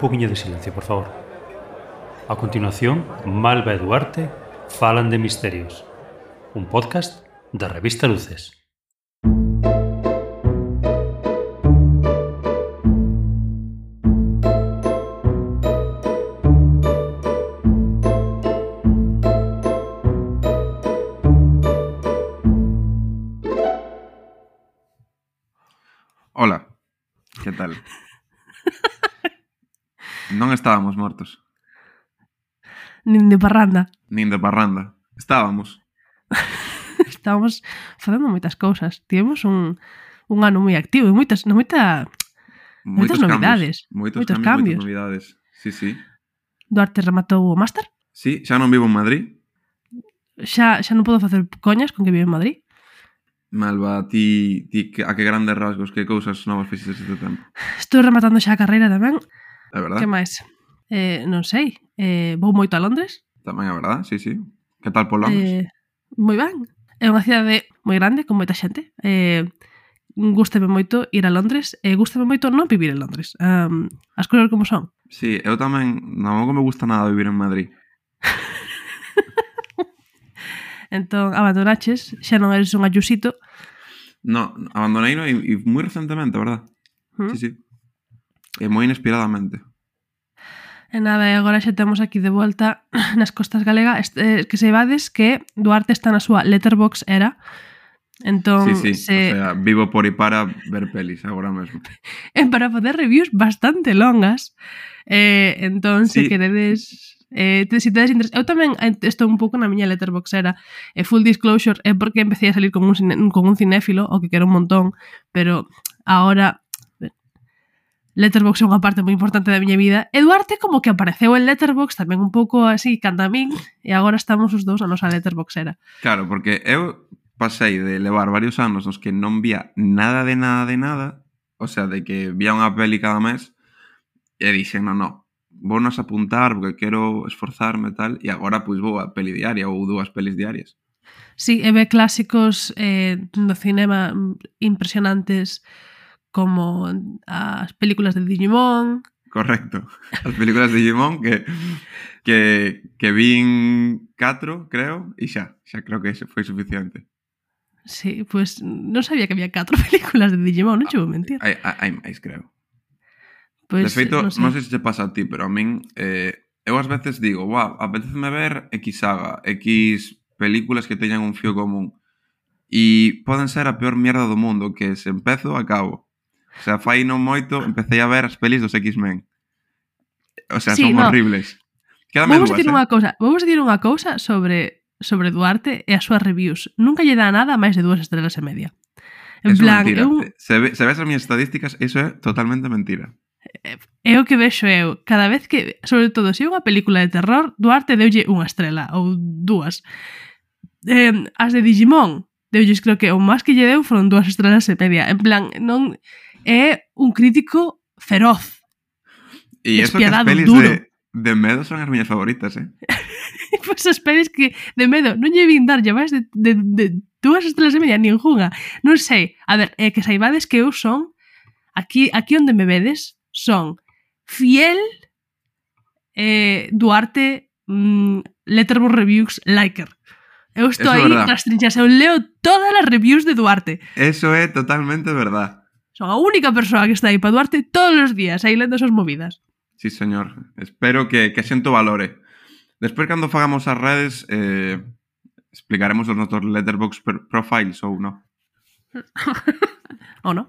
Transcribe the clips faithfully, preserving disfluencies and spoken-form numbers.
poquinho de silencio, por favor. A continuación, Malva e Duarte falan de misterios. Un podcast da revista Luces. Hola, que tal? Non estábamos mortos. Nin de parranda. Nin de parranda. Estábamos. Estábamos facendo moitas cousas. Tivemos un, un ano moi activo e moitas, no, moita, moitas novidades. Cambios. Moitos, moitos cambios, cambios. moitas novidades. Sí, sí. Duarte rematou o máster. Sí, xa non vivo en Madrid. Xa, xa non podo facer coñas con que vive en Madrid. Malva, ti, ti a que grandes rasgos, que cousas novas fixes este tempo? Estou rematando xa a carreira tamén. É verdad? Que máis? Eh, non sei. Eh, vou moito a Londres. Tamén é verdad, sí, sí. Que tal por Londres? Eh, moi ben. É unha cidade moi grande, con moita xente. Eh, gústame moito ir a Londres e gústame moito non vivir en Londres. Um, as cousas como son. Sí, eu tamén non me gusta nada vivir en Madrid. Entón, abandonaches, xa non eres un ayusito. No, abandonei e, e moi recentemente, verdad? ¿Mm? Sí, sí. E moi inesperadamente. E nada, e agora xa temos aquí de volta nas costas galegas eh, que se vades que Duarte está na súa Letterboxd era. Entón, sí, sí, se... o sea, vivo por e para ver pelis agora mesmo. E para poder reviews bastante longas. Eh, entón, Sí. se queredes... Eh, te, si tedes interés... Eu tamén estou un pouco na miña Letterboxd era eh, full disclosure, é porque empecé a salir con un, cine, con un cinéfilo, o que quero un montón, pero agora... Letterboxd é unha parte moi importante da miña vida. E Duarte como que apareceu en Letterboxd tamén un pouco así, canta a min, e agora estamos os dous a nosa Letterboxd era. Claro, porque eu pasei de levar varios anos nos que non vía nada de nada de nada, o sea, de que vía unha peli cada mes, e dixen, non, non, vou nos apuntar porque quero esforzarme e tal, e agora pois vou a peli diaria ou dúas pelis diarias. Sí, e ve clásicos eh, do cinema impresionantes como as películas de Digimon. Correcto. As películas de Digimon que que que vin catro, creo, e xa, xa creo que ese foi suficiente. Sí, pues non sabía que había catro películas de Digimon, non che vou mentir. Hai, hai máis, creo. Pues, de feito, non sei. non sei se che pasa a ti, pero a min eh, eu ás veces digo, wow, apeteceme ver X saga, X películas que teñan un fío común, e poden ser a peor mierda do mundo, que se empezo, acabo. O sea, fai non moito, empecé a ver as pelis dos X-Men. O sea, Sí, son no. horribles. Quédame Vamos dúas, dicir eh? unha cousa, vamos dicir unha cousa sobre sobre Duarte e as súas reviews. Nunca lle dá nada máis de dúas estrelas e media. En Eso é plan, mentira. eu, Se, ve, se ves as miñas estadísticas, eso é totalmente mentira. é o que vexo eu. Cada vez que, sobre todo, se é unha película de terror, Duarte deulle unha estrela ou dúas. Eh, as de Digimon, deulles creo que o máis que lle deu foron dúas estrelas e media. En plan, non é un crítico feroz. E eso que as Despiadado, pelis duro. de, de medo son as miñas favoritas, eh? Pois as pelis que de medo non lle vin darlle máis de, de, de dúas estrelas e media ningunha. Non sei. A ver, é que saibades que eu son aquí, aquí onde me vedes son fiel eh, Duarte mm, Letterboxd Reviews liker. Eu estou Eso é aí verdad. nas trinchas, eu leo todas as reviews de Duarte. Eso é totalmente verdad. Son a única persoa que está aí para Duarte todos os días, aí lendo as súas movidas. Sí, señor. Espero que, que a xente o valore. Despois, cando fagamos as redes, eh, explicaremos os nosos Letterboxd profiles ou non. Ou non?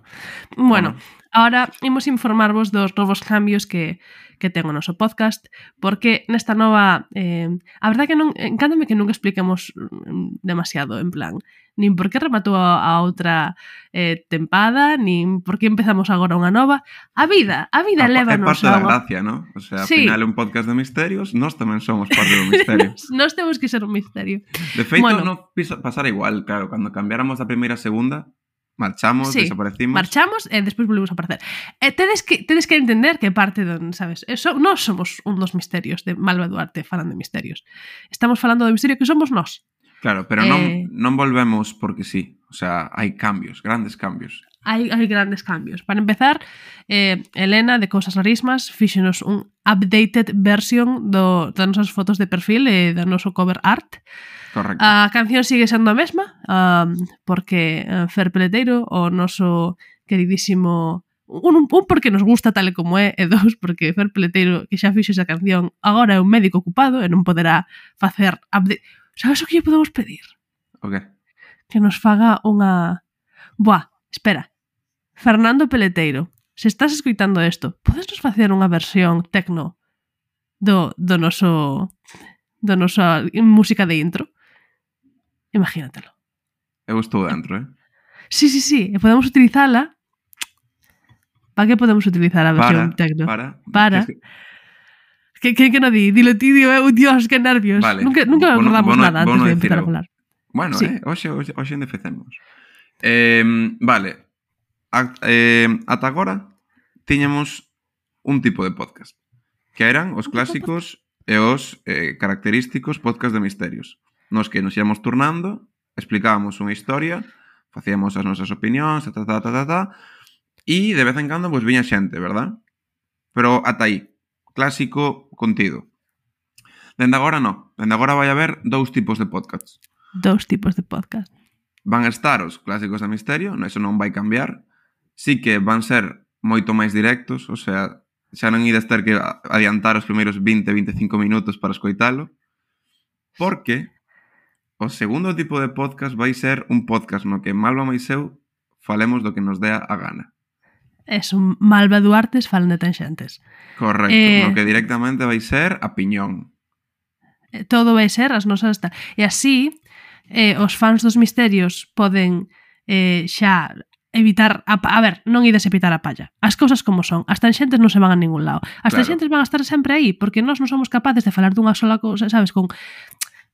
Bueno, Bueno. ahora imos informarvos dos novos cambios que, que ten o noso podcast, porque nesta nova... Eh, a verdade que non... Encántame que nunca expliquemos mm, demasiado, en plan, nin por que rematou a, a outra eh, tempada, nin por que empezamos agora unha nova. A vida, a vida A, é lévanos parte da a unha... gracia, ¿no? O sea, ao Sí. final é un podcast de misterios, nós tamén somos parte do misterio. Nos, nos temos que ser un misterio. De feito, Bueno. non pisa- pasara igual, claro, cando cambiáramos da primeira a segunda, marchamos, Sí, desaparecimos. marchamos e despois volvemos a aparecer. E tedes que tedes que entender que parte don, sabes, eso, nós somos un dos misterios de Malva Duarte falan de misterios. Estamos falando do misterio que somos nós. Claro, pero Eh, non, non volvemos porque sí. O sea, hai cambios, grandes cambios. Hai, hai grandes cambios. Para empezar, eh, Elena, de Cousas Rarísimas, fíxenos un updated version do, das nosas fotos de perfil e do noso cover art. Correcto. A canción sigue sendo a mesma, um, porque uh, Fer Peleteiro, o noso queridísimo... Un, un porque nos gusta tal e como é, e dos porque Fer Peleteiro, que xa fixo esa canción, agora é un médico ocupado e non poderá facer update. Sabes o que lle podemos pedir? O que? Que nos faga unha... Buah, espera. Fernando Peleteiro, se estás escoitando isto, podes nos facer unha versión tecno do, do noso do nosa música de intro? Imagínatelo. Eu estou dentro, eh? Sí, sí, sí, e podemos utilizala. Para que podemos utilizar a versión Para, tecno? para. Para. Es que- Que, que, que no di? Dilo ti, digo, eu, Dios, que nervios. Vale. Nunca, nunca Bueno, acordamos bueno, nada antes bueno de decir empezar a eu. falar. Bueno, Sí. eh, hoxe, hoxe, hoxe endefecemos. Eh, vale. A, eh, ata agora tiñamos un tipo de podcast, que eran os clásicos e os eh, característicos podcast de misterios, nos que nos íamos turnando, explicábamos unha historia, facíamos as nosas opinións, ta, ta, ta, ta, ta, ta, e de vez en cando pues, viña xente, verdad? Pero ata aí, clásico contido. Dende agora non, dende agora vai haber dous tipos de podcasts. Dous tipos de podcast. Van a estar os clásicos de misterio, eso non vai cambiar. Sí que van ser moito máis directos, o sea, xa non ides ter que adiantar os primeiros vinte a veinticinco minutos para escoitalo, porque o segundo tipo de podcast vai ser un podcast no que Malva máis eu falemos do que nos dea a gana. Es un Malva Duartes falan de tanxentes. Correcto, Eh, no que directamente vai ser a piñón. Eh, Todo vai ser as nosas... ta- E así, eh, os fans dos misterios poden eh, xa evitar... A, pa- a ver, non ides evitar a palla. As cousas como son. As tanxentes non se van a ningún lado. As Claro. tanxentes van a estar sempre aí, porque nós non somos capaces de falar dunha sola cousa, sabes, con...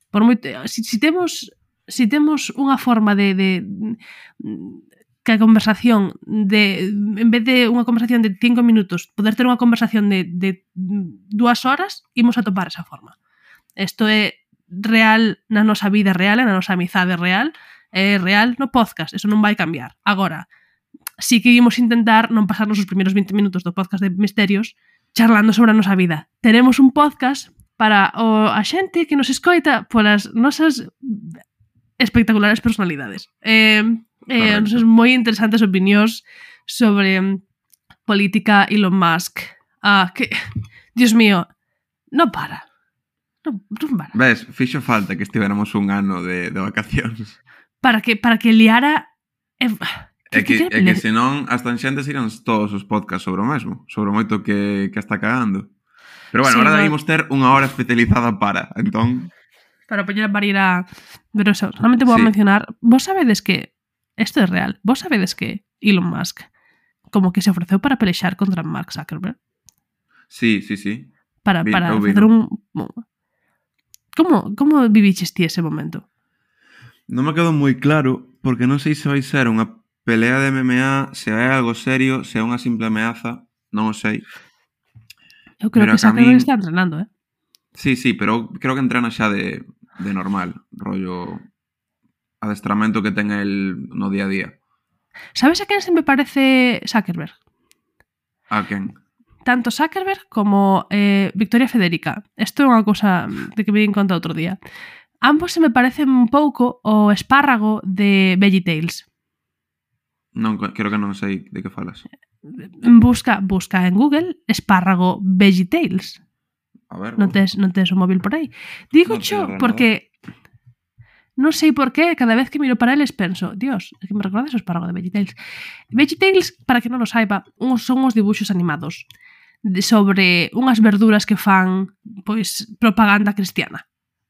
Por moito, si, si temos si temos unha forma de, de que a conversación de en vez de unha conversación de cinco minutos, poder ter unha conversación de, de dúas horas, imos a topar esa forma. Isto é real na nosa vida real, na nosa amizade real, é real no podcast, eso non vai cambiar. Agora, si que imos intentar non pasarnos os primeiros vinte minutos do podcast de misterios charlando sobre a nosa vida. Teremos un podcast para o, a xente que nos escoita polas nosas espectaculares personalidades. Eh, eh, Correcto. nosas moi interesantes opinións sobre mm, política, Elon Musk. Ah, que, Dios mío, non para. Non, non para. Ves, fixo falta que estivéramos un ano de, de vacacións. Para que, para que liara... Eh, É que, que é que senón as tanxentes irán todos os podcasts sobre o mesmo, sobre o moito que, que está cagando. Pero bueno, Sí, ahora no. debimos ter unha hora especializada para, entón... Para poñer a parir a... Pero eso, solamente vou Sí. a mencionar... Vos sabedes que... Isto é real. Vos sabedes que Elon Musk como que se ofreceu para pelexar contra Mark Zuckerberg? Sí, sí, sí. Para, Vi- para eu facer vino. un... Como, como viviches ti ese momento? Non me quedou moi claro, porque non sei se vai ser unha pelea de M M A, se é algo serio, se é unha simple ameaza, non o sei. Eu creo Pero que que a Zuckerberg min- está entrenando, eh? Sí, sí, pero creo que entrena xa de, de normal, rollo adestramento que ten el no día a día. Sabes a quen se me parece Zuckerberg? A quen? Tanto Zuckerberg como eh, Victoria Federica. Isto é unha cousa de que me di conta outro día. Ambos se me parecen un pouco o espárrago de VeggieTales. Non, creo que non sei de que falas. Busca, busca en Google espárrago VeggieTales. A ver, Non vou- tes, non tes o móvil por aí. Digo Non teño cho ordenador. porque non sei por qué, cada vez que miro para eles penso, Dios, é que me recordas o espárrago de VeggieTales. VeggieTales, para que non o saiba, uns son os dibuxos animados de, sobre unhas verduras que fan pois propaganda cristiana.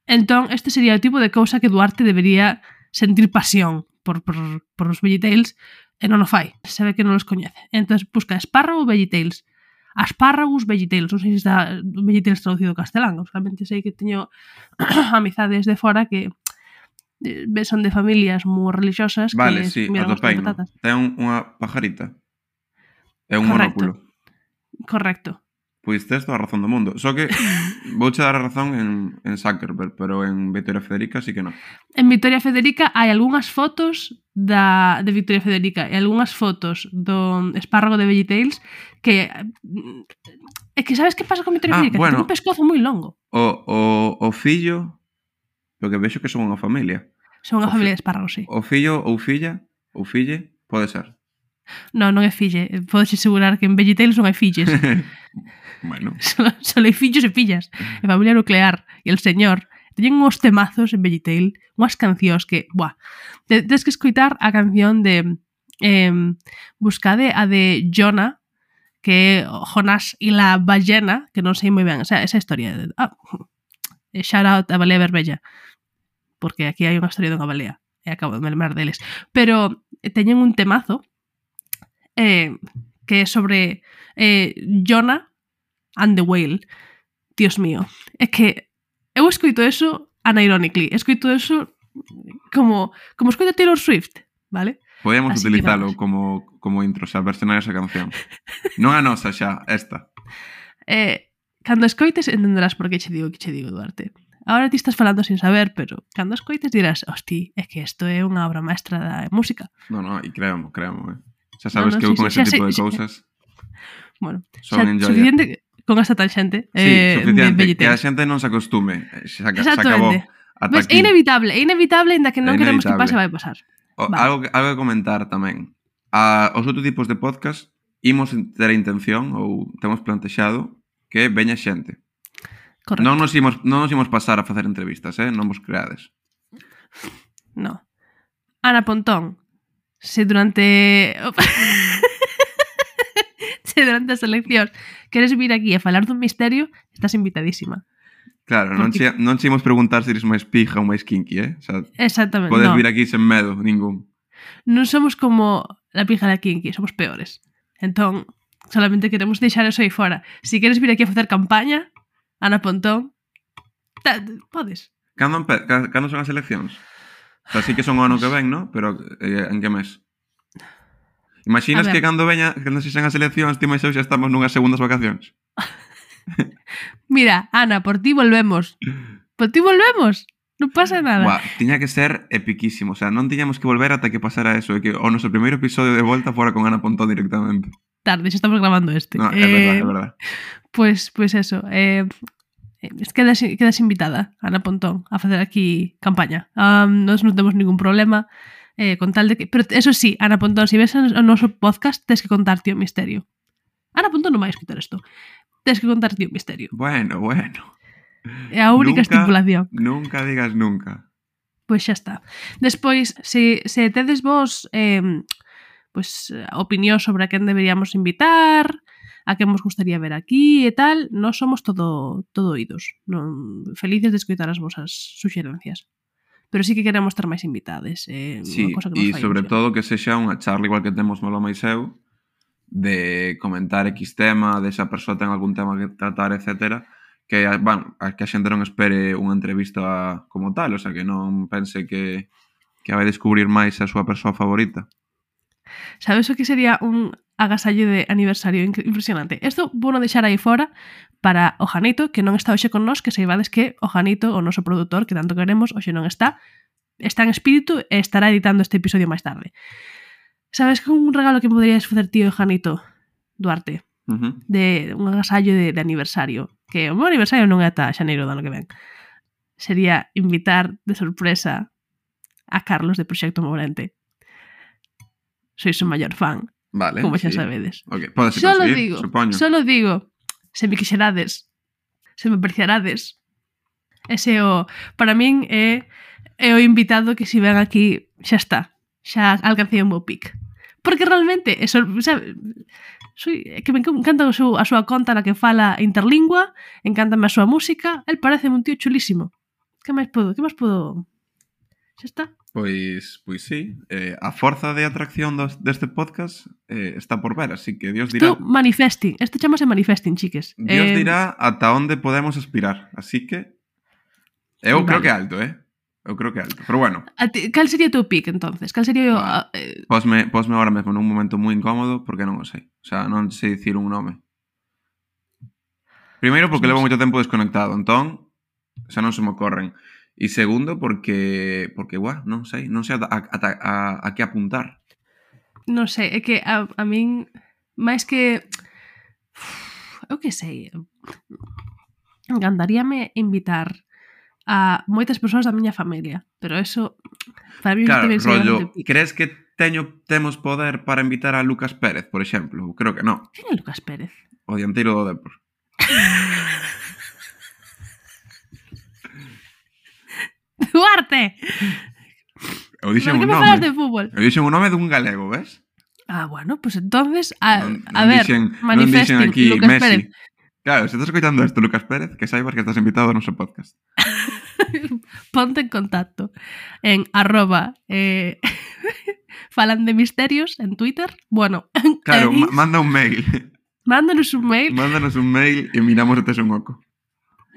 Entón, este sería o tipo de cousa que Duarte debería sentir pasión por, por, por os VeggieTales e non o fai. Se ve que non os coñece. Entón, busca espárrago VeggieTales. Aspárragos VeggieTales. Non sei se está VeggieTales traducido ao castelán. Solamente sei que teño amizades de fora que eh, son de familias moi religiosas Vale, que sí, comieron as atopeino. patatas. Ten un- unha pajarita. É un Correcto. monóculo. Correcto. Pois tes toda a razón do mundo. Só que vouche dar a razón en, en Zuckerberg, pero en Victoria Federica sí que non. En Victoria Federica hai algunhas fotos da, de Victoria Federica e algunhas fotos do espárrago de VeggieTales que... É que sabes que pasa con Victoria Ah, Federica? bueno. Ten un pescozo moi longo. O, o, o fillo, porque vexo que son unha familia. Son unha O familia fi- de espárragos, sí. O fillo ou filla, ou fille, pode ser. Non, non é fille. Podes asegurar que en VeggieTales non hai filles. Bueno. Solo, solo hai fillos e fillas. E familia nuclear. E el señor teñen uns temazos en VeggieTale, unhas cancións que, buah, te- tens que escoitar a canción de eh, buscade a de Jonah, que é Jonás e la ballena, que non sei moi ben, o sea, esa historia de, ah, shout out a Balea Verbella, porque aquí hai unha historia dunha balea e acabo de me lembrar deles, pero teñen un temazo eh, que é sobre eh, Jonah and the Whale. Dios mío, é que eu escoito eso unironically, escoito eso como como escoito Taylor Swift, vale? Podemos Así que utilizalo vamos. como, como intro, xa, versionar esa canción. Non a nosa xa, esta. Eh, cando escoites entenderás por que che digo que che digo, Duarte. Ahora ti estás falando sin saber, pero cando escoites dirás, hosti, é que isto é unha obra maestra da música. Non, non, e créamo, créamo, eh. Xa sabes No, no, que eu sí, con sí, ese xa tipo sei- de xa- cousas Bueno, son xa, enjoyer. suficiente con esta tangente Sí, eh, de suficiente, que a VeggieTales. xente non se acostume. eh, Xa, xa acabou. Exactamente. Ata Ves, aquí. é inevitable, é inevitable, ainda que non É queremos que inevitable. pase, vai pasar. O, Vale. algo, que- algo que comentar tamén. A, os outros tipos de podcast imos ter a intención ou temos plantexado que veña xente. Correcto. Non nos imos, non nos imos pasar a facer entrevistas, eh? Non vos creades. No. Ana Pontón, se durante se durante as eleccións queres vir aquí a falar dun misterio, estás invitadísima. Claro, non Porque- che, non che imos preguntar se eres máis pija ou máis kinky, eh? O sea, Exactamente. podes no. vir aquí sen medo, ningún. Non somos como la pija da Kinky, somos peores. Entón, solamente queremos deixar eso aí fora. Si queres vir aquí a facer campaña, Ana Pontón, ta, podes. Cando, empe- ca- cando son as eleccións? O sea, sí que son o ano que ven, ¿no? Pero eh, en que mes? Imaginas A ver. que cando veña, cando se xan as eleccións, ti máis eu xa estamos nunhas segundas vacacións? Mira, Ana, por ti volvemos. Por ti volvemos. Non pasa nada. Buah, tiña que ser epiquísimo. O sea, non tiñamos que volver ata que pasara eso. E que o noso primeiro episodio de volta fora con Ana Pontón directamente. Tarde, xa estamos grabando este. No, é verdad, é verdad. Pues, pues eso. Eh, quedas, quedas invitada, Ana Pontón, a facer aquí campaña. Um, nós non temos ningún problema eh, con tal de que... Pero eso sí, Ana Pontón, se si ves o noso podcast, tens que contarte o misterio. Ana Pontón non vai escutar isto. Tens que contarte o misterio. Bueno, bueno. É a única Nunca- estipulación. Nunca digas nunca. Pois xa está. Despois, se, se tedes vos eh, pues, opinión sobre a quen deberíamos invitar, a quen vos gustaría ver aquí e tal, nós somos todo, todo oídos. Non, felices de escoitar as vosas suxerencias. Pero sí que queremos ter máis invitades. Eh, Sí, unha cosa que nos e fai sobre ilusión. todo que sexa unha charla igual que temos Malo máis eu, de comentar X tema, de esa persoa ten algún tema que tratar, etcétera, que, bueno, a que a xente non espere unha entrevista como tal, o sea, que non pense que, que vai descubrir máis a súa persoa favorita. Sabes o que sería un agasallo de aniversario incre- impresionante? Isto vou non deixar aí fora para o Janito, que non está hoxe con nós, que saibades que o Janito, o noso produtor, que tanto queremos, hoxe non está, está en espírito e estará editando este episodio máis tarde. Sabes que un regalo que poderías facer tío e Janito, Duarte, Uh-huh. de un agasallo de, de aniversario, que o meu aniversario non é ata xaneiro do ano que ven, sería invitar de sorpresa a Carlos de Proxecto Morente. Sois o maior fan, Vale, como xa sí. sabedes. Okay. Podese Solo conseguir, digo, supoño. solo digo, se me quixerades, se me apreciarades. Ese o, para min é, é o invitado que se ven aquí, xa está, xa alcancei o meu pic. Porque realmente, eso, sabe, soy, é que me encanta a súa, a súa conta na que fala interlingua, encántame a súa música, el parece un tío chulísimo. Que máis podo, que máis podo... Xa está. Pois, pois sí, eh, a forza de atracción dos, deste podcast eh, está por ver, así que Dios dirá, Isto manifesting, isto chamase manifesting, chiques. Dios Eh, dirá ata onde podemos aspirar, así que eu Vale. creo que alto, eh? Eu creo que alto, pero bueno, A ti, cal sería o teu pick, entonces? Cal sería o... Vale. a- eh, posme, posme ahora mesmo nun momento moi incómodo porque non o sei, o sea, non sei dicir un nome. Primeiro porque Pues non levo sei. moito tempo desconectado, entón xa non se me ocorren. E segundo porque, porque, guau, non sei, non sei a, a, a, a, a que apuntar. Non sei, é que a, a min máis que eu que sei, encantaríame invitar a moitas persoas da miña familia, pero eso para mí Claro, tamén sería bastante rollo, pico. crees que teño temos poder para invitar a Lucas Pérez, por exemplo? Creo que non. Quen é Lucas Pérez? O dianteiro do Depor. Duarte! Eu dixen Por que un me nome. falas de fútbol? Eu dixen un nome dun galego, ves? Ah, bueno, pues entonces, a, Non, a non ver, dixen, non manifesting dixen aquí Lucas Messi. Pérez. Claro, se estás escoitando isto, Lucas Pérez, que saibas que estás invitado ao noso podcast. Ponte en contacto en arroba eh, falan de misterios en Twitter. Bueno, Claro, en ma- manda un mail. mándanos un mail. Mándanos un mail e miramos se tes un oco.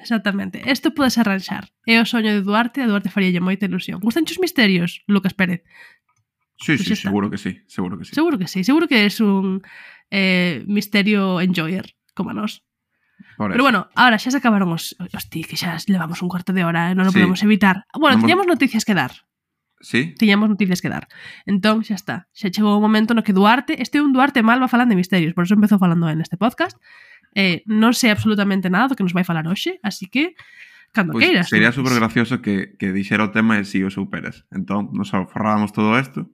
Exactamente. Isto podes arranxar. É o soño de Duarte, a Duarte faríalle moita ilusión. Gustan os misterios, Lucas Pérez? Sí, Pois sí, xa está. seguro que sí, seguro que sí. Seguro que sí, seguro que es un eh, misterio enjoyer, como a nós. Por Pero eso. bueno, ahora xa se acabaron os... Hosti, que xa levamos un cuarto de hora, eh? Non o Sí. podemos evitar. Bueno, Vamos- tiñamos noticias que dar. Sí? Tiñamos noticias que dar. Entón, xa está. Xa chegou o momento no que Duarte... Este é un Duarte Malva falando de misterios, por eso empezou falando en este podcast. Eh, non sei absolutamente nada do que nos vai falar hoxe, así que cando Pois queiras. sería Duarte. super gracioso que, que dixera o tema e si o seu Pérez. Entón, nos aforrábamos todo isto,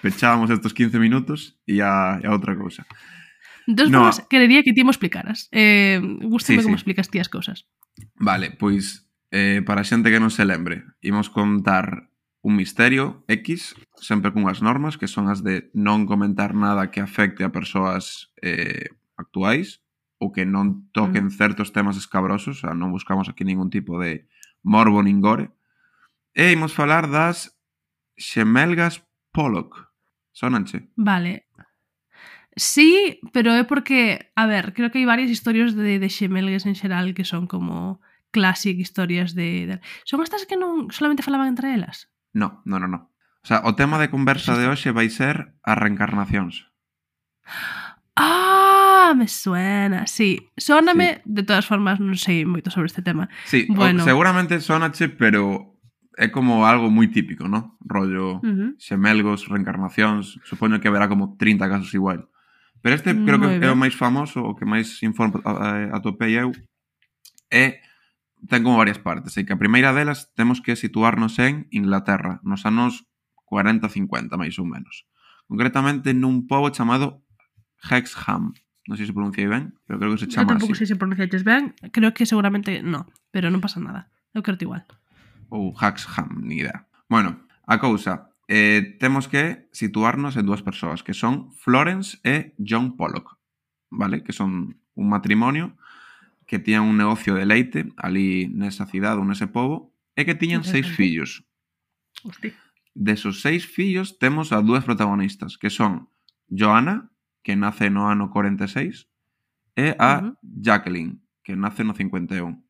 pechábamos estos quince minutos e a, e a outra cousa. De todas No. formas, querería que ti mo explicaras. Eh, gústame Sí, como sí. explicas ti as cousas. Vale, pois eh, para a xente que non se lembre, imos contar un misterio X, sempre cunhas normas, que son as de non comentar nada que afecte a persoas eh, actuais ou que non toquen certos temas escabrosos, o sea, non buscamos aquí ningún tipo de morbo nin gore. E imos falar das xemelgas Pollock. Sónanche? Vale. Sí, pero é porque, a ver, creo que hai varias historias de, de xemelgues en xeral que son como classic historias de, de... Son estas que non solamente falaban entre elas? No, no, no, no. O sea, o tema de conversa de hoxe vai ser as reencarnacións. Ah, me suena, sí. Sóname, sí. De todas formas, non sei moito sobre este tema. Sí, Bueno. o, seguramente sonache, pero é como algo moi típico, ¿no? Rollo Uh -huh. xemelgos, reencarnacións, supoño que haberá como trinta casos igual. Pero este creo que Moi é o ben. máis famoso, o que máis informe atopei eu, é ten como varias partes, e que a primeira delas temos que situarnos en Inglaterra, nos anos cuarenta cincuenta, máis ou menos. Concretamente nun pobo chamado Hexham. Non sei se pronunciei ben, pero creo que se Eu chama tampouco así. sei se pronunciaches ben. Creo que seguramente no, pero non pasa nada. Eu creo igual. Ou Hexham, ni idea. Bueno, a cousa, eh, temos que situarnos en dúas persoas, que son Florence e John Pollock, vale? Que son un matrimonio que tiñan un negocio de leite ali nesa cidade ou nese pobo e que tiñan seis fillos. Hostia. Desos seis fillos temos a dúas protagonistas, que son Joanna, que nace no ano cuarenta e seis, e a Uh-huh. Jacqueline, que nace no cincuenta e un.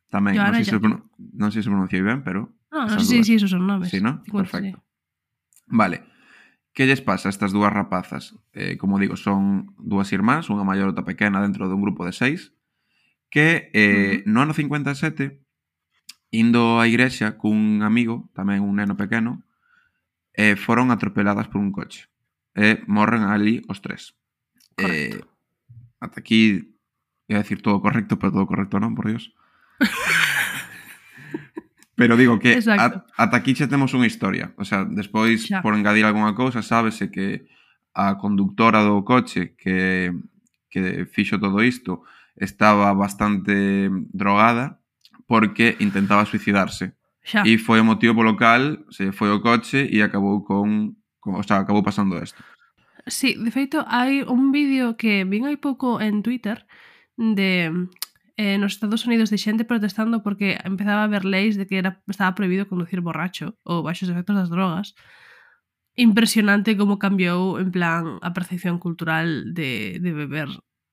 Tamén, non Joanna sei, se, pronun- non sei se pronunciei ben, pero... No, no esas sei dúas. se esos son nomes. Sí, ¿no? cincuenta, Perfecto. sí. Vale. Que lles pasa a estas dúas rapazas? Eh, como digo, son dúas irmáns, unha maior e outra pequena dentro dun grupo de seis, que eh, Uh-huh. no ano cincuenta e sete, indo á igrexa cun amigo, tamén un neno pequeno, eh, foron atropeladas por un coche. E morren ali os tres. Correcto. Eh, ata aquí, ia decir todo correcto, pero todo correcto non, por Dios. Pero digo que Exacto. a, ata aquí xa temos unha historia. O sea, despois, Xa. por engadir algunha cousa, sábese que a conductora do coche que, que fixo todo isto estaba bastante drogada porque intentaba suicidarse. Xa. E foi o motivo polo cal se foi o coche e acabou con, con o sea, acabou pasando isto. Sí, de feito, hai un vídeo que vin hai pouco en Twitter de eh, nos Estados Unidos de xente protestando porque empezaba a haber leis de que era, estaba prohibido conducir borracho ou baixo os efectos das drogas. Impresionante como cambiou, en plan, a percepción cultural de, de beber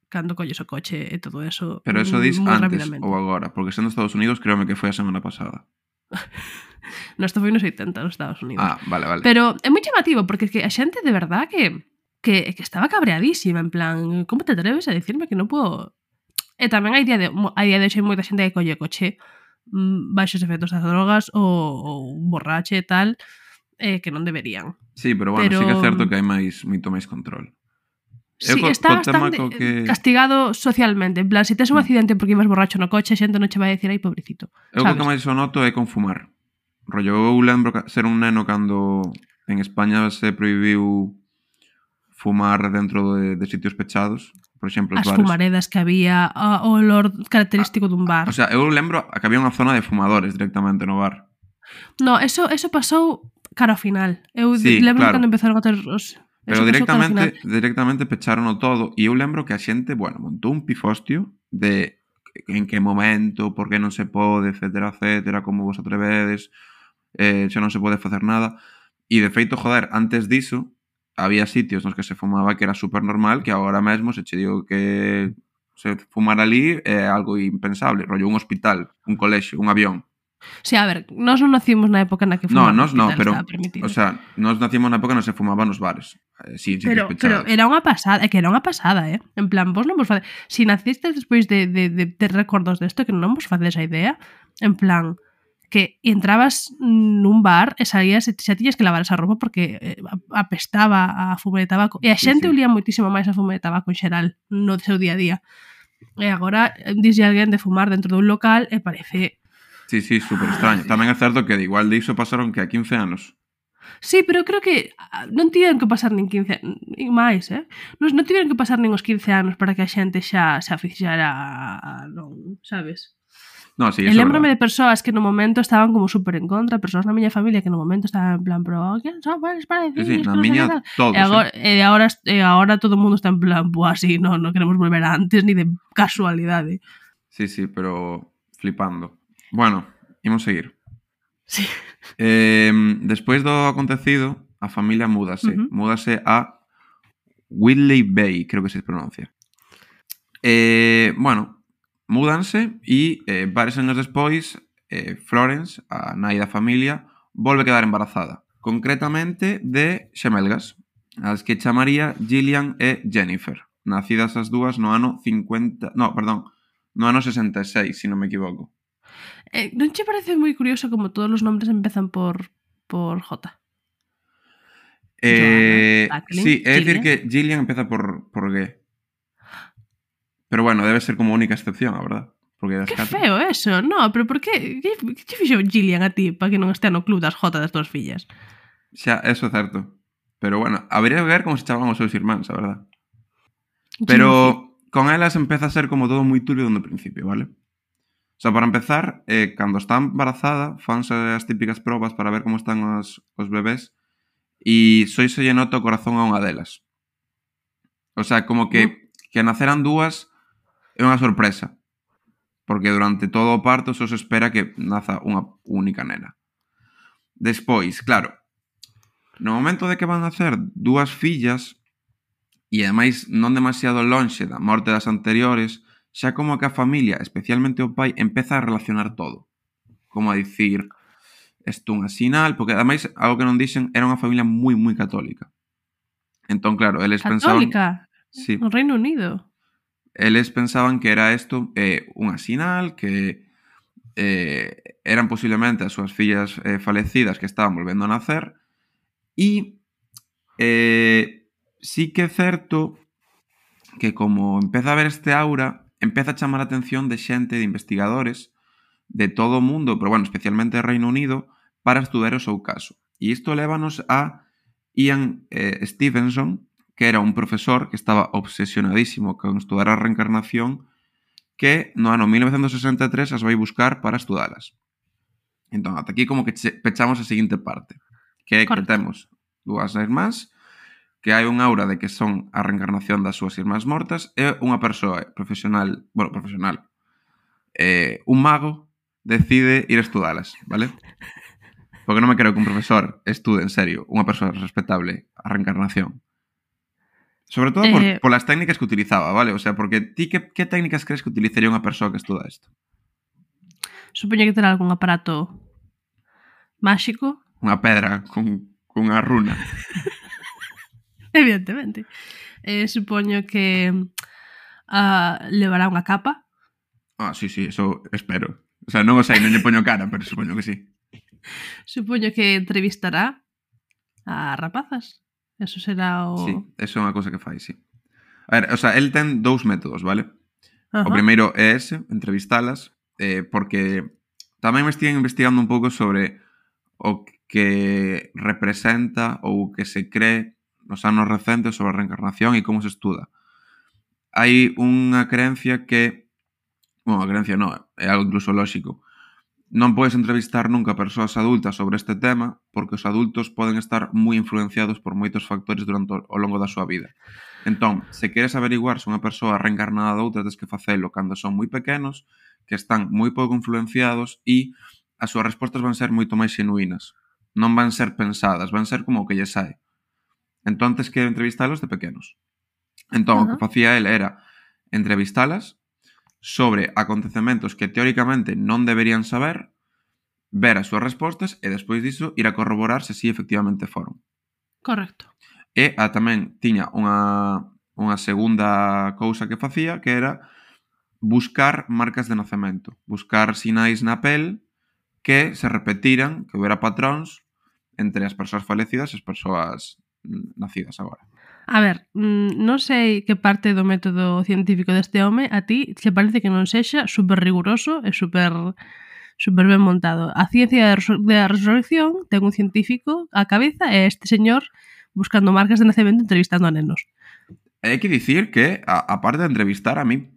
cando colles o coche e todo eso. Pero eso dis moi antes rapidamente. ou agora, porque sendo Estados Unidos, créeme que foi a semana pasada. No, isto foi nos oitenta nos Estados Unidos. Ah, vale, vale. Pero é moi chamativo, porque que a xente de verdad que, que, que estaba cabreadísima, en plan, como te atreves a decirme que non puedo... E tamén hai día de, hai día de hoxe moita xente que colle coche mm, baixos efectos das drogas ou, ou borrache e tal, eh, que non deberían. Sí, pero bueno, Pero- sí que é certo que hai máis, moito máis control. Eu Sí, co- está co tema bastante co que- castigado socialmente. En plan, se tes un Mm. accidente porque ibas borracho no coche, a xente non che vai decir, ai, pobrecito. Eu o Sabes? que máis o noto é con fumar. Rollo, eu lembro ca- ser un neno cando en España se prohibiu fumar dentro de, de sitios pechados, por exemplo, os As bares. fumaredas que había, a- o olor característico dun bar. O sea, eu lembro que había unha zona de fumadores directamente no bar. No, eso eso pasou cara ao final. Eu Sí, lembro claro. cando empezaron a ter os Pero eso pasou cara ao directamente, final. directamente pecharon todo e eu lembro que a xente, bueno, montou un pifostio de en que momento, por que non se pode, etcétera, etcétera, como vos atrevedes, eh, xa non se pode facer nada. E de feito, joder, antes diso, había sitios nos que se fumaba que era super normal, que agora mesmo se che digo que se fumar ali é algo impensable, rollo un hospital, un colexio, un avión. Sí, a ver, nós non nacimos na época na que No, fumar nos no, pero, estaba permitido. o sea, nos nacimos na época non se fumaba nos bares, eh, sí, en sitios Pero, pero pechados. era unha pasada, é que era unha pasada, eh? En plan, vos non vos facedes... Si nacistes despois de, de, de ter recordos desto, que non vos facedes a idea, en plan, que entrabas nun bar e salías e xa tiñas que lavar esa roupa porque eh, apestaba a fume de tabaco. E a Sí, xente sí. olía moitísimo máis a fume de tabaco en xeral no seu día a día. E agora dixlle alguén de fumar dentro dun local e parece... Sí, sí, super extraño. Tamén é certo que de igual de iso pasaron que a quince anos. Sí, pero creo que ah, non tiveron que pasar nin quince nin máis, eh? Non, non tiveron que pasar nin os quince anos para que a xente xa se aficionara a, non, sabes? No, sí, E eso é lembrome verdade. de persoas que no momento estaban como super en contra, persoas na miña familia que no momento estaban en plan, pero que son buenos para Sí, decir, sí, na miña todos, E agora, eh. e agora, e agora todo o mundo está en plan, pues así, no, non queremos volver a antes ni de casualidade. Sí, sí, pero flipando. Bueno, imos seguir. Sí. Eh, despois do acontecido, a familia múdase. Ujú. Múdase a Whitley Bay, creo que se pronuncia. Eh, bueno, múdanse e eh, varios anos despois eh, Florence, a nai da familia, volve a quedar embarazada. Concretamente de xemelgas, as que chamaría Gillian e Jennifer. Nacidas as dúas no ano cincuenta... No, perdón, no ano sesenta e seis, se non me equivoco. Eh, non che parece moi curioso como todos os nombres empezan por por J? Eh, Joanna, Jacqueline, sí, é dicir Gillian. que Gillian empeza por, por G. Pero bueno, debe ser como única excepción, a verdad. Porque das Que catro- feo eso, no, pero por que que, que te fixo Gillian a ti para que non este no club das J das túas fillas? Xa, eso é certo. Pero bueno, habría que ver como se chamaban os seus irmáns, a verdad. Pero con elas empeza a ser como todo moi turbio dende o principio, vale? O sea, para empezar, eh, cando está embarazada, fanse as típicas probas para ver como están os, os bebés e soi se lle nota o corazón a unha delas. O sea, como que, que naceran dúas é unha sorpresa. Porque durante todo o parto só se espera que naza unha única nena. Despois, claro, no momento de que van a nacer dúas fillas e ademais non demasiado lonxe da morte das anteriores, xa como que a familia, especialmente o pai, empeza a relacionar todo. Como a dicir, isto unha sinal, porque ademais, algo que non dixen, era unha familia moi, moi católica. Entón, claro, eles pensaban... Católica, Sí, no Reino Unido. eles pensaban que era isto eh, unha sinal, que eh, eran posiblemente as súas fillas eh, falecidas que estaban volvendo a nacer, e eh, sí que é certo que como empeza a ver este aura, empeza a chamar a atención de xente, de investigadores de todo o mundo, pero bueno, especialmente do Reino Unido, para estudar o seu caso. E isto lévanos a Ian eh, Stevenson, que era un profesor que estaba obsesionadísimo con estudar a reencarnación, que no ano mil novecentos sesenta e tres as vai buscar para estudalas. Entón, ata aquí como que che- pechamos a seguinte parte, que é que Correcto. temos dúas irmás, que hai un aura de que son a reencarnación das súas irmás mortas, e unha persoa profesional, bueno, profesional, eh, un mago, decide ir a estudalas, vale? Porque non me creo que un profesor estude en serio, unha persoa respetable, a reencarnación. Sobre todo por, Eh, por las técnicas que utilizaba, ¿vale? O sea, porque ti que, que técnicas crees que utilizaría unha persoa que estuda isto? Supoño que terá algún aparato máxico, Unha pedra con, con unha runa. evidentemente. Eh, supoño que uh, levará unha capa Ah, sí, sí, eso espero. O sea, non o sei, non lle poño cara, pero supoño que sí. Supoño que entrevistará a rapazas. Eso será o... Sí, eso é unha cousa que fai, sí. A ver, o sea, el ten dous métodos, vale? Ajá. O primeiro é ese, entrevistalas, eh, porque tamén me estive investigando un pouco sobre o que representa ou o que se cree nos anos recentes sobre a reencarnación e como se estuda. Hai unha creencia que, bueno, a creencia non, é algo incluso lóxico. Non podes entrevistar nunca a persoas adultas sobre este tema porque os adultos poden estar moi influenciados por moitos factores durante o longo da súa vida. Entón, se queres averiguar se unha persoa reencarnada doutra, tens que facelo cando son moi pequenos, que están moi pouco influenciados e as súas respostas van ser moito máis xenuínas. Non van ser pensadas, van ser como o que lle sae. Entón, tens que entrevistalos de pequenos. Entón, uh-huh. o que facía el era entrevistalas sobre acontecementos que teóricamente non deberían saber, ver as súas respostas e despois diso ir a corroborar se si efectivamente foron. Correcto. E a, tamén tiña unha, unha segunda cousa que facía, que era buscar marcas de nacemento, buscar sinais na pel que se repetiran, que houbera patróns entre as persoas falecidas e as persoas nacidas agora. A ver, non sei que parte do método científico deste home a ti te parece que non sexa super riguroso e super super ben montado. A ciencia da resurrección ten un científico á cabeza e este señor buscando marcas de nacemento entrevistando a nenos. Hai que dicir que, a, a parte de entrevistar, a mí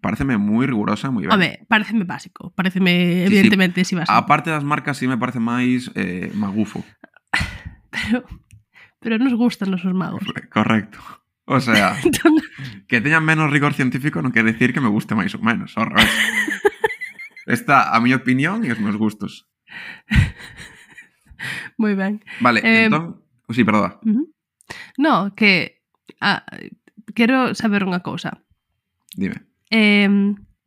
pareceme moi rigurosa, moi ben. Home, pareceme básico. Pareceme, sí, evidentemente, sí. si básico. A parte das marcas, sí me parece máis eh, magufo. Pero... Pero nos gustan os magos. Correcto. O sea, entón... que teñan menos rigor científico non quere decir que me guste máis ou menos. Ao revés. Está a miña opinión e os meus gustos. Moi ben. Vale, eh... entón... Oh, sí, perdón. Uh-huh. No, que... Ah, quero saber unha cousa. Dime. Eh,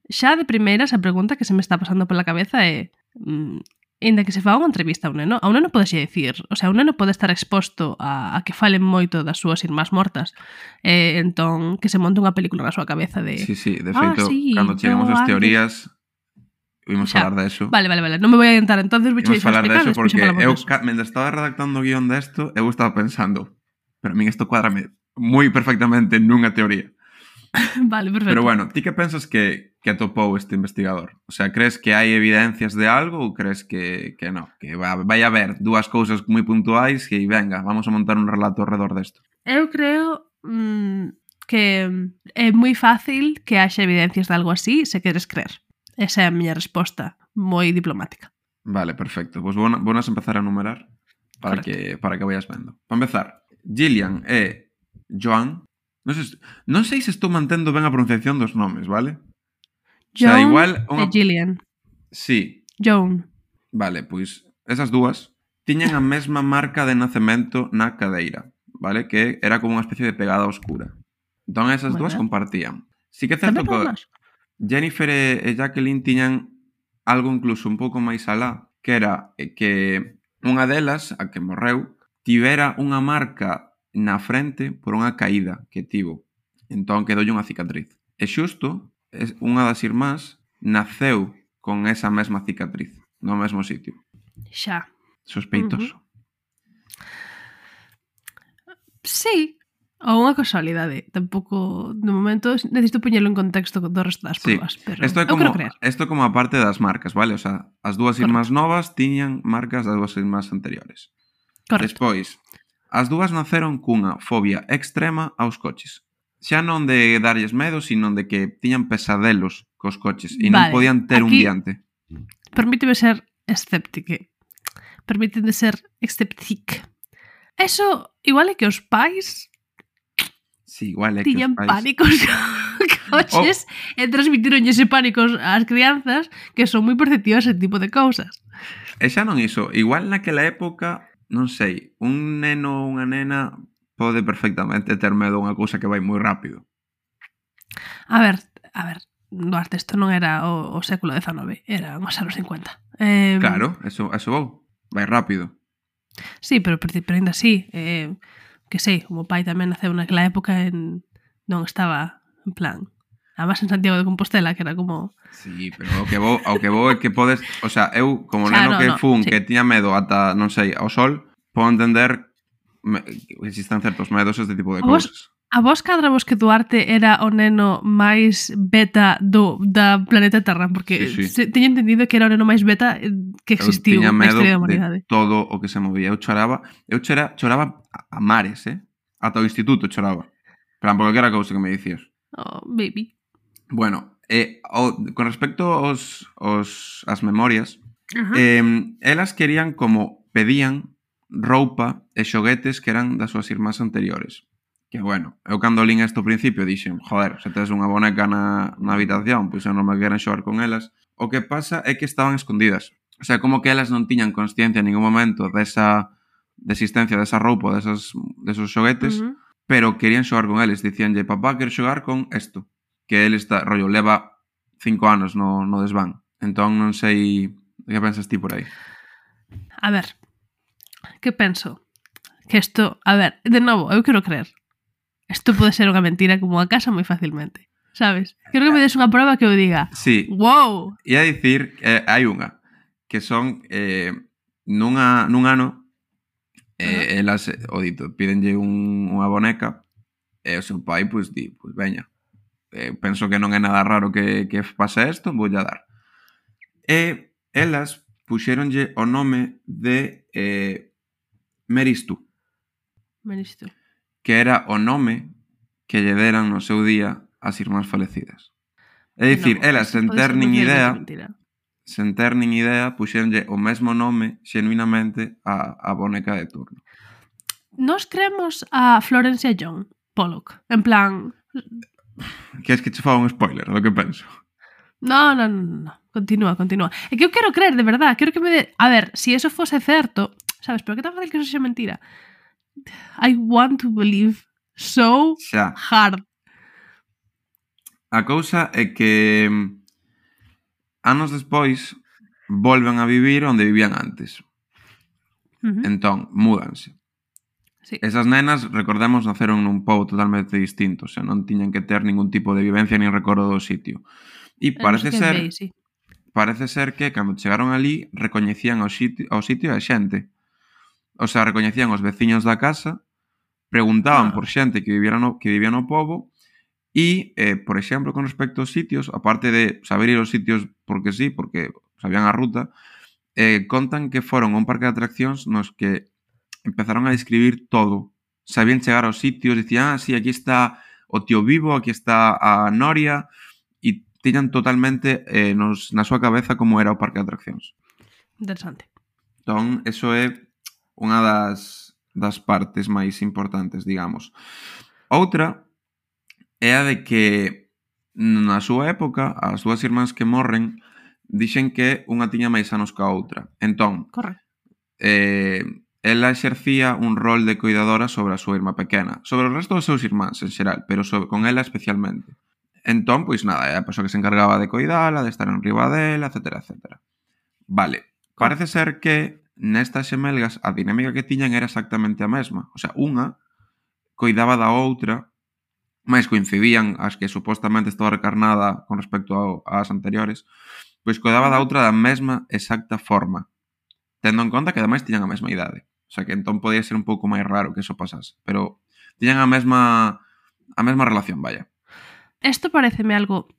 xa de primeiras a pregunta que se me está pasando pola cabeza é... Mm, Ainda que se faga unha entrevista a un neno, a un neno podexe dicir, o sea, un neno pode estar exposto a, a que falen moito das súas irmás mortas, eh, entón que se monte unha película na súa cabeza de... Sí, sí, de ah, feito, sí, cando chegamos ás teorías, vimos xa, falar de eso. Vale, vale, vale, non me vou a adiantar, entonces vou vimos falar de eso porque eu, eso. mentre estaba redactando o guión desto, eu estaba pensando, pero a min isto cuadrame moi perfectamente nunha teoría. Vale, perfecto. Pero bueno, ti que pensas que, que atopou este investigador? O sea, crees que hai evidencias de algo ou crees que, que non? Que vai a haber dúas cousas moi puntuais e venga, vamos a montar un relato alrededor desto. Eu creo mmm, que é moi fácil que haxa evidencias de algo así se queres creer. Esa é a miña resposta, moi diplomática. Vale, perfecto. Pois pues vamos a empezar a numerar para que, para que vayas vendo. Para empezar, Gillian e Joan. Non sei, non sei se estou mantendo ben a pronunciación dos nomes, vale? Joan o sea, igual unha... e Gillian. Sí. Joan. Vale, pois esas dúas tiñan a mesma marca de nacemento na cadeira, vale? Que era como unha especie de pegada oscura. Entón esas bueno. dúas compartían. Sí que é certo que Jennifer e Jacqueline tiñan algo incluso un pouco máis alá, que era que unha delas, a que morreu, tivera unha marca na frente por unha caída que tivo. Entón quedoulle unha cicatriz. E xusto, unha das irmás naceu con esa mesma cicatriz no mesmo sitio. Xa. Sospeitoso. Uh-huh. Sí, ou unha casualidade. Tampouco, de momento, necesito poñelo en contexto do resto das probas. Sí. Pero isto é como, isto como a parte das marcas, vale? O sea, as dúas irmás novas tiñan marcas das dúas irmás anteriores. Correcto. Despois, as dúas naceron cunha fobia extrema aos coches. Xa non de darlles medo, sino de que tiñan pesadelos cos coches e non vale, podían ter un diante. Permíteme ser escéptique. Permíteme ser escéptique. Eso, igual é que os pais sí, igual é que tiñan os pais... pánicos coches oh. e transmitiron ese pánico ás crianzas que son moi perceptivas ese tipo de cousas. E xa non iso, igual naquela época... Non sei, un neno ou unha nena pode perfectamente ter medo a unha cousa que vai moi rápido. A ver, a ver, Duarte, isto non era o, o século dezanove, era os anos cincuenta. Eh, claro, eso, eso vou, vai rápido. Sí, pero, pero, pero ainda así, eh, que sei, o meu pai tamén naceu naquela época en, non estaba, en plan, Además en Santiago de Compostela, que era como... Sí, pero o que vou, ao que vou é que podes... O sea, eu, como Xa, neno no, que no, fun, sí. que tiña medo ata, non sei, ao sol, podo entender me, que existen certos medos este tipo de A vos, cousas. a vos cadra vos que Duarte era o neno máis beta do, da planeta Terra, porque Sí, sí. se, teño entendido que era o neno máis beta eh, que Eu existiu tiña na medo historia da de humanidade. todo o que se movía. Eu choraba, eu chora, choraba a mares, eh? Ata o instituto choraba. Pero por calquera cousa que me dicías. Oh, baby. Bueno, eh, o, con respecto aos, aos as memorias, Ajá. eh, elas querían como pedían roupa e xoguetes que eran das súas irmás anteriores. Que bueno, eu cando lín isto ao principio dixen, joder, se tes unha boneca na, na habitación, pois eu non me queren xogar con elas. O que pasa é que estaban escondidas. O sea, como que elas non tiñan consciencia en ningún momento desa de existencia desa roupa, desas, desos xoguetes, Uh -huh. pero querían xogar con eles. Dicíanlle, papá, quero xogar con isto. Que ele está, rollo, leva cinco anos no, no desván. Entón non sei que pensas ti por aí. A ver, que penso? Que isto, a ver, de novo, eu quero creer. Isto pode ser unha mentira como a casa moi facilmente, sabes? Quero que me des unha prova que eu diga, sí. Wow! Ia dicir, eh, hai unha, que son eh, nunha, nun ano eh, uh-huh. elas, o dito, pídenlle un, unha boneca e o seu pai, pois, di, pois veña, eh, penso que non é nada raro que, que pase isto, vou a dar. E elas puxéronlle o nome de eh, Meristu. Meristu. Que era o nome que lle deran no seu día as irmás falecidas. É dicir, no, elas, sen ter nin idea, sen ter nin idea, puxéronlle o mesmo nome xenuinamente a, a boneca de turno. Nos creemos a Florencia Young, Pollock, en plan... Queres que che faga un spoiler do que penso? No, no, no, no. Continúa, continúa. É que eu quero creer, de verdad. Quero que me de... A ver, si eso fose certo, sabes, pero que tan fácil que eso sexa mentira. I want to believe so Xa. hard. A cousa é que anos despois volven a vivir onde vivían antes. Uh -huh. Entón, múdanse. Sí. Esas nenas, recordemos, naceron nun pobo totalmente distinto, o sea, non tiñan que ter ningún tipo de vivencia nin recordo do sitio. E parece ser Bay, sí. parece ser que cando chegaron ali recoñecían ao sitio, ao sitio a xente. O sea, recoñecían os veciños da casa, preguntaban ah. por xente que vivía no, que vivía no pobo e, eh, por exemplo, con respecto aos sitios, aparte de saber ir aos sitios porque sí, porque sabían a ruta, eh, contan que foron a un parque de atraccións nos que empezaron a describir todo. Sabían chegar aos sitios, dicían, ah, sí, aquí está o tío vivo, aquí está a Noria, e tiñan totalmente eh, nos, na súa cabeza como era o parque de atraccións. Interesante. Entón, eso é unha das, das partes máis importantes, digamos. Outra é a de que na súa época, as dúas irmás que morren dixen que unha tiña máis anos que a outra. Entón, correcto. Eh, ela exercía un rol de cuidadora sobre a súa irmá pequena, sobre o resto dos seus irmáns en xeral, pero sobre, con ela especialmente. Entón, pois nada, é a persoa que se encargaba de cuidala, de estar en riba dela, etcétera, etcétera. Vale, parece ser que nestas xemelgas a dinámica que tiñan era exactamente a mesma. O sea, unha cuidaba da outra, máis coincidían as que supostamente estaba recarnada con respecto ás anteriores, pois cuidaba da outra da mesma exacta forma, tendo en conta que ademais tiñan a mesma idade. O sea, que entón podía ser un pouco máis raro que eso pasase. Pero tiñan a mesma a mesma relación, vaya. Isto pareceme algo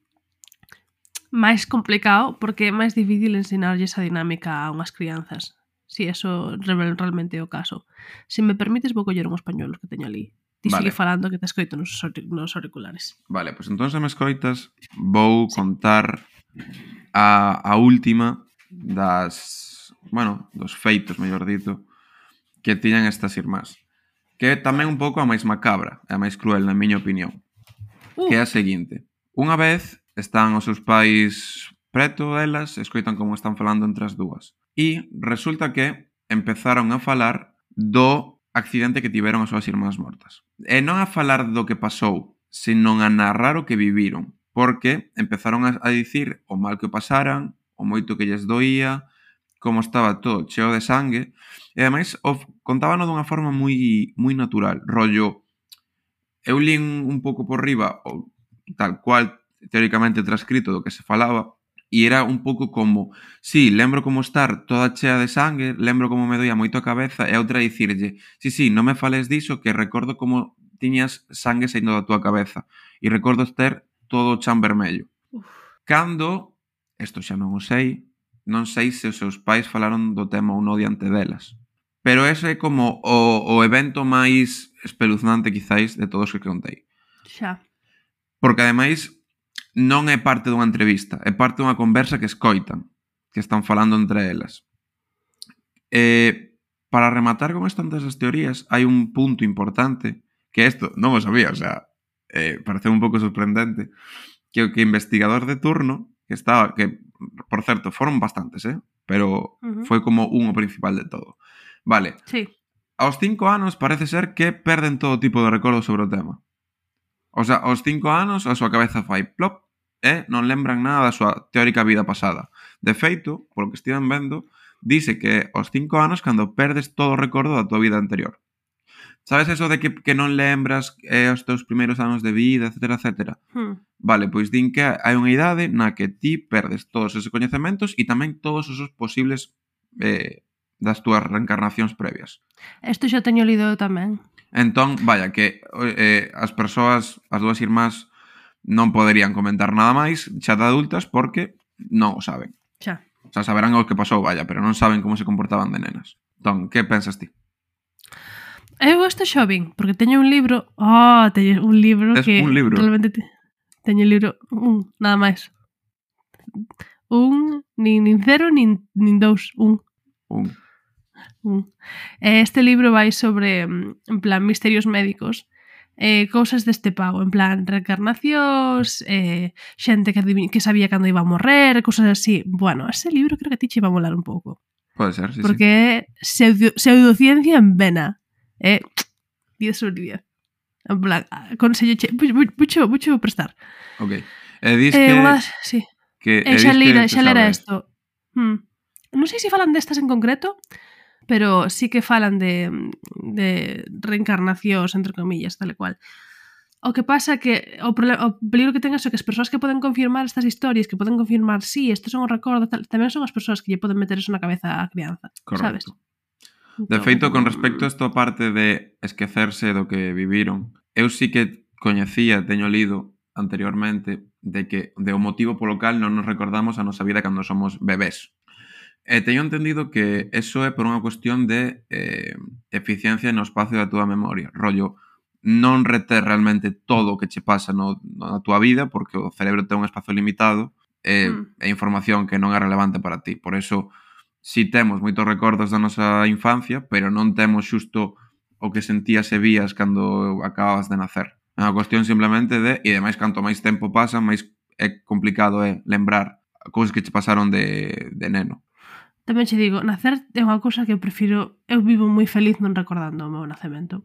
máis complicado porque é máis difícil ensinarlle esa dinámica a unhas crianzas. Si eso realmente é o caso. Se me permites, vou coller un español que teño ali. Ti vale. Sigue falando que te escoito nos, nos auriculares. Vale, pois pues entón se me escoitas vou sí. contar a, a última das, bueno, dos feitos, mellor dito, que tiñan estas irmás. Que é tamén un pouco a máis macabra, a máis cruel, na miña opinión. Uh. Que é a seguinte. Unha vez están os seus pais preto delas, escoitan como están falando entre as dúas. E resulta que empezaron a falar do accidente que tiveron as súas irmás mortas. E non a falar do que pasou, senón a narrar o que viviron. Porque empezaron a, a dicir o mal que pasaran, o moito que lles doía, como estaba todo cheo de sangue, e ademais o, contábano dunha forma moi moi natural, rollo eu lín un pouco por riba, o tal cual teóricamente transcrito do que se falaba, e era un pouco como, sí, lembro como estar toda chea de sangue, lembro como me doía moito a cabeza, e outra dicirlle, sí, sí, non me fales diso, que recordo como tiñas sangue saindo da túa cabeza, e recordo ter todo o chan vermello. Uf. Cando, isto xa non o sei, non sei se os seus pais falaron do tema ou non diante delas. Pero ese é como o, o evento máis espeluznante, quizáis, de todos os que contei. Xa. Porque, ademais, non é parte dunha entrevista, é parte dunha conversa que escoitan, que están falando entre elas. Eh, para rematar con estas tantas teorías, hai un punto importante, que isto non o sabía, o sea, eh, parece un pouco sorprendente, que o que investigador de turno, que estaba, que, por certo, foron bastantes, eh? Pero Uh-huh. foi como un o principal de todo. Vale, Sí. aos cinco anos parece ser que perden todo tipo de recordo sobre o tema. O sea, aos cinco anos a súa cabeza fai plop e non lembran nada da súa teórica vida pasada. De feito, polo que estiven vendo, dice que aos cinco anos cando perdes todo o recordo da tua vida anterior. Sabes eso de que, que non lembras eh, os teus primeiros anos de vida, etcétera, etcétera? Hmm. Vale, pois din que hai unha idade na que ti perdes todos esos coñecementos e tamén todos esos posibles eh, das túas reencarnacións previas. Isto xa teño lido eu tamén. Entón, vaya, que eh, as persoas, as dúas irmás, non poderían comentar nada máis xa de adultas porque non o saben. Xa. O sea, saberán o que pasou, vaya, pero non saben como se comportaban de nenas. Entón, que pensas ti? Eu isto xa vin, porque teño un libro... Oh, teño un libro Es que... un libro? Realmente te... Teño un libro... Un, nada máis. Un, nin, nin cero, nin, nin dous. Un. Un. Un. Este libro vai sobre, en plan, misterios médicos, eh, cousas deste pago, en plan, reencarnacións, eh, xente que, adiv- que sabía cando iba a morrer, cousas así. Bueno, ese libro creo que a ti che iba a molar un pouco. Pode ser, sí, Porque é pseudo, pseudociencia en vena. É diez sobre diez. En plan, aconsello che, mucho, mucho prestar. sí. Ok. E dis Eh, que... unhas, sí. que E e xa dis lera, que xa lera sabes. isto. Hmm. Non sei se falan destas en concreto, pero sí que falan de, de reencarnacións, entre comillas, tal e cual. O que pasa que o, problema, o peligro que ten é que as persoas que poden confirmar estas historias, que poden confirmar, sí, estos son os recordos, tal, tamén son as persoas que lle poden meter eso na cabeza á crianza, sabes? Correcto. De Entón, feito, con respecto a esta parte de esquecerse do que viviron, eu sí que coñecía, teño lido anteriormente, de que de o motivo polo cal non nos recordamos a nosa vida cando somos bebés. E teño entendido que eso é por unha cuestión de eh, eficiencia no espacio da túa memoria. Rollo, non reter realmente todo o que che pasa no, na túa vida, porque o cerebro ten un espacio limitado e, Mm. e información que non é relevante para ti. Por eso, si temos moitos recordos da nosa infancia, pero non temos xusto o que sentías e vías cando acababas de nacer. É unha cuestión simplemente de... E ademais, canto máis tempo pasa, máis é complicado é lembrar cousas que che pasaron de, de neno. Tamén che digo, nacer é unha cousa que eu prefiro, eu vivo moi feliz non recordando o meu nacemento.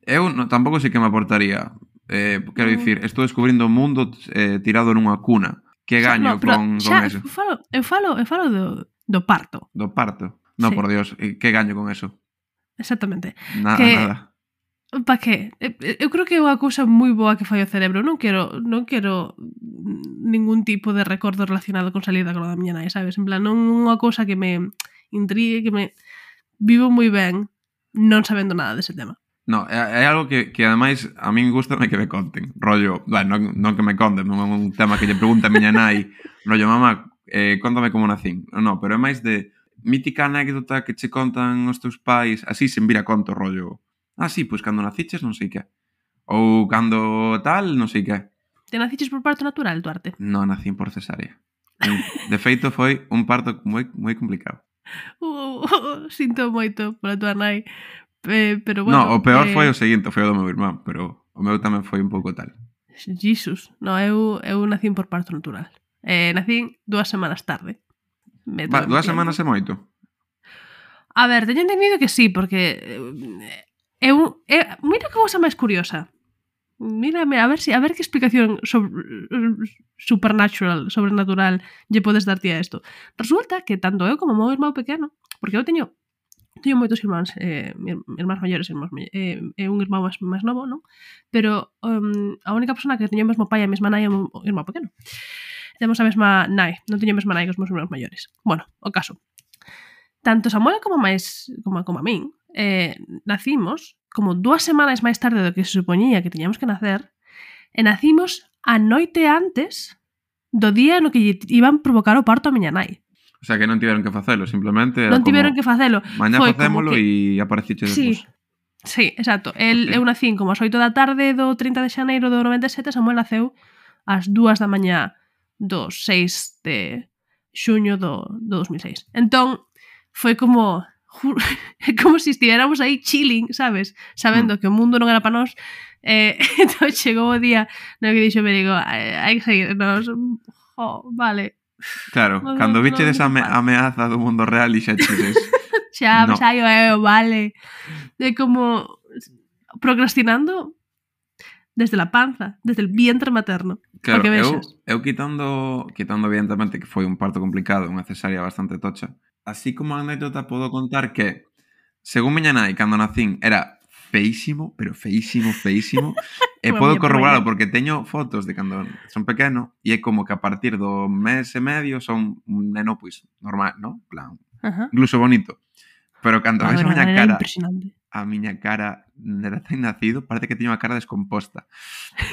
Eu no, tampouco sei que me aportaría. Eh, quero Mm. dicir, estou descubrindo o mundo eh, tirado nunha cuna. Que Xa, gaño no, pero con, xa, con eso? Eu falo, eu falo, eu falo do, do parto. Do parto? No, Sí. por Dios, eh, que gaño con eso? Exactamente. Nada, Que- nada. Pa que? Eu, eu creo que é unha cousa moi boa que fai o cerebro. Non quero, non quero ningún tipo de recordo relacionado con salir da cola da miña nai, sabes? En plan, non é unha cousa que me intrigue, que me... Vivo moi ben non sabendo nada dese tema. No, é, é algo que, que ademais a min gustame que me conten. Rollo, bueno, non, non que me conten, non é un tema que lle pregunta a miña nai. Rollo, mamá, eh, contame como nacín. No, pero é máis de mítica anécdota que che contan os teus pais, así sen vir a conto, rollo. Ah, sí, pois cando naciches non sei que. Ou cando tal, non sei que. Te naciches por parto natural, Duarte? Non nacín por cesárea. De feito, foi un parto moi, moi complicado. Uh, uh, sinto moito pola tua nai. Eh, pero bueno, No, o peor eh, foi o seguinte, foi o do meu irmán, pero o meu tamén foi un pouco tal. Jesus, no, eu, eu nacín por parto natural. Eh, nacín dúas semanas tarde. Me Va, tomei dúas tiempo. semanas é moito. A ver, teño entendido que sí, porque eh, eu, eh, mira que cousa máis curiosa. Mírame, a ver si a ver que explicación sobre, supernatural, sobrenatural lle podes dar ti a isto. Resulta que tanto eu como o meu irmão pequeno, porque eu teño teño moitos irmáns, eh, irmáns maiores, irmáns eh, eh, un irmán máis, máis novo, non? Pero um, a única persona que teño o mesmo pai e a mesma nai é o irmán pequeno. Temos a mesma nai, non teño a mesma nai que os meus irmáns maiores. Bueno, o caso. Tanto Samuel como máis como, como a min, eh, nacimos como dúas semanas máis tarde do que se supoñía que teñamos que nacer, e nacimos a noite antes do día no que iban provocar o parto a miña nai. O sea, que non tiveron que facelo, simplemente era non tiveron como, que facelo. mañá Foi facémolo que... e apareciche sí, despois. sí, exacto. El, Okay. Eu nacín como ás oito da tarde do trinta de xaneiro do noventa e sete, Samuel naceu ás dúas da mañá do seis de xuño do, do dos mil seis. Entón, foi como... como se si estiveramos aí chilling, sabes? Sabendo mm. que o mundo non era para nós. Eh, entón chegou o día no que dixo, me digo, hai que seguirnos. Oh, vale. Claro, no, cando no, vichedes no, a ame- ameaza do mundo real e xa chides. xa, no. xa, eu, vale. De como procrastinando desde la panza, desde el vientre materno. Claro, eu, eu quitando, quitando evidentemente que foi un parto complicado, unha cesárea bastante tocha, así como anécdota podo contar que, según miña nai, cando nacín, era feísimo, pero feísimo, feísimo, e podo corroborarlo porque teño fotos de cando son pequeno e é como que a partir do mes e medio son un neno, pois, normal, ¿no? Plan, uh-huh. Incluso bonito. Pero cando ves a miña cara, a miña cara de recén nacido, parece que teño a cara descomposta.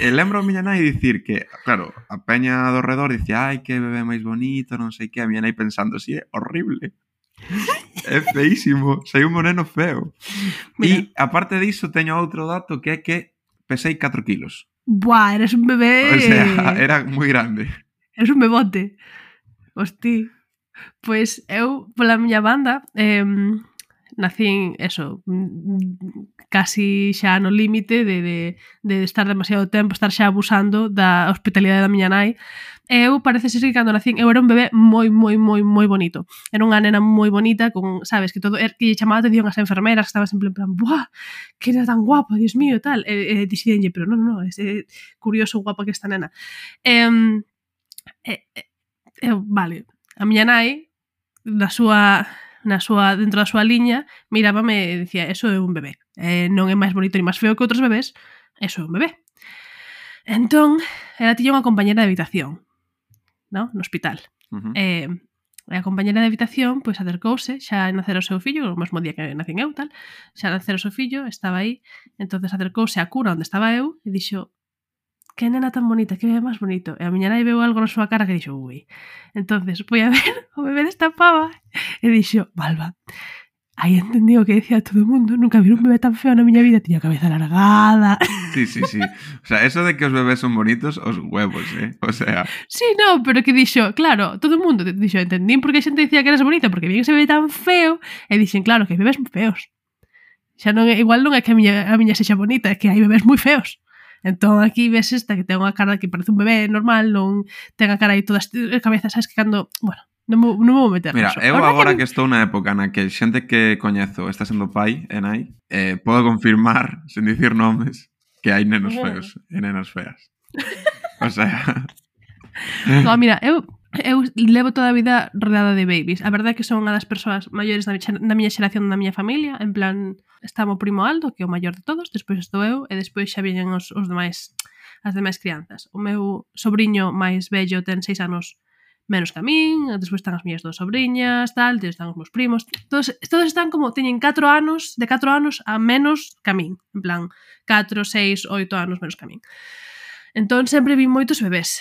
E lembro a miña nai dicir que, claro, a peña do redor dice, ai, que bebé máis bonito, non sei que, a miña nai pensando, si, sí, é horrible. É feísimo, sei un moreno feo. E, aparte diso, teño outro dato que é que pesei catro kilos. Buah, eres un bebé... O sea, era moi grande. Eres un bebote. Hostí. Pois eu, pola miña banda, eh, nacín, eso, casi xa no límite de, de, de estar demasiado tempo, estar xa abusando da hospitalidade da miña nai. Eu parece ser que cando nacín eu era un bebé moi, moi, moi, moi bonito. Era unha nena moi bonita, con, sabes, que todo er, que chamaba a atención as enfermeras, que estaban sempre en plan, buah, que era tan guapa, Dios mío, tal. E, e dixenlle, pero non, non, é eh, curioso guapa que esta nena. Eh, eh, eh, vale, a miña nai, na súa, na súa, dentro da súa liña, mirábame e dicía, eso é un bebé. Eh, non é máis bonito ni máis feo que outros bebés, eso é un bebé. Entón, ela tiña unha compañera de habitación, no, no hospital. Uh-huh. Eh, a compañera de habitación, pois, acercouse, xa nacer o seu fillo, o mesmo día que nacín eu, tal, xa nacer o seu fillo, estaba aí, entonces acercouse á cura onde estaba eu e dixo, que nena tan bonita, que bebé máis bonito. E a miña nai veu algo na súa cara que dixo, ui. Entonces, foi a ver o bebé desta pava e dixo, Balba, aí entendí o que decía todo o mundo, nunca vi un bebé tan feo na miña vida, tiña a cabeza alargada. Sí, sí, sí. O sea, eso de que os bebés son bonitos, os huevos, eh? O sea... Sí, no, pero que dixo, claro, todo o mundo dixo, entendín porque a xente dicía que eras bonita, porque vi ese bebé tan feo, e dixen, claro, que hai bebés moi feos. Xa non é, igual non é que a miña, a miña sexa bonita, é que hai bebés moi feos. Entón aquí ves esta que ten unha cara que parece un bebé normal, non ten a cara aí toda a cabeza, sabes que cando, bueno, non me, non me vou meter. Mira, eso. eu agora que, que estou na época na que xente que coñezo está sendo pai e nai, eh, podo confirmar, sen dicir nomes, que hai nenos feos e nenas feas. O sea... No, mira, eu eu levo toda a vida rodeada de babies. A verdade é que son unha das persoas maiores da, da miña xeración, da miña familia. En plan, está o primo Aldo, que é o maior de todos, despois estou eu, e despois xa viñen os, os demais, as demais crianzas. O meu sobriño máis vello ten seis anos menos que a min, despois están as miñas dos sobriñas, tal, despois están os meus primos. Todos, todos están como, teñen catro anos, de catro anos a menos que a min. En plan, catro, seis, oito anos menos que a min. Entón, sempre vi moitos bebés.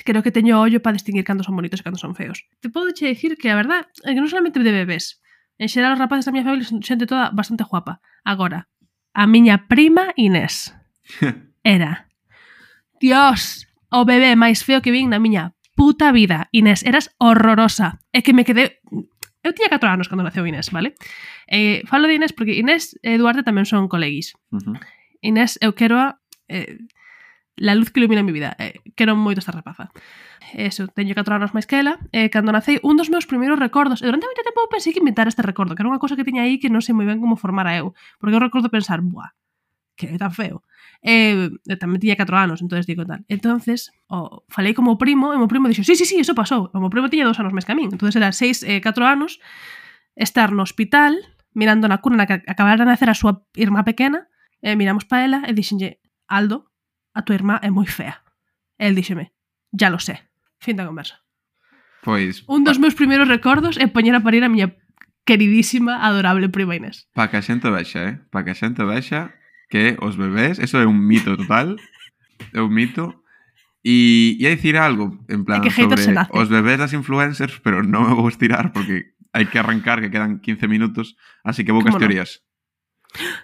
Creo que teño ollo para distinguir cando son bonitos e cando son feos. Te podo che dicir que a verdad é que non solamente de bebés. En xeral, os rapaces da miña familia son xente toda bastante guapa. Agora, a miña prima Inés era, Dios, o bebé máis feo que vin na miña puta vida. Inés, eras horrorosa. É que me quedé... Eu tiña catro anos cando naceu Inés, vale? Eh, falo de Inés porque Inés e Eduardo tamén son coleguis. Uh-huh. Inés, eu quero a... Eh, la luz que ilumina a mi vida. Eh, quero moito esta rapaza. Eso, teño catro anos máis que ela. Eh, cando nacei, un dos meus primeiros recordos, e durante moito tempo pensei que inventar este recordo, que era unha cosa que tiña aí que non sei moi ben como formara eu. Porque eu recordo pensar, buah, que é tan feo. Eh, tamén tiña catro anos, entonces digo tal. Entonces, oh, falei como o primo, e o meu primo dixo, sí, sí, sí, eso pasou. O meu primo tiña dos anos máis que a min. Entonces era seis, eh, catro anos, estar no hospital, mirando na cuna na que acabara de nacer a súa irmá pequena, e miramos para ela e dixenlle, Aldo, a tua irmá é moi fea. E el díxeme, ya lo sé. Fin da conversa. Pois... Un dos pa... meus primeiros recordos é poñer a parir a miña queridísima, adorable prima Inés. Pa que a xente vexa, eh? Pa que a xente vexa que os bebés, eso é un mito total, é un mito. E ia dicir algo, en plan, sobre os bebés das influencers, pero non me vou estirar porque hai que arrancar, que quedan quince minutos, así que vou cas teorías.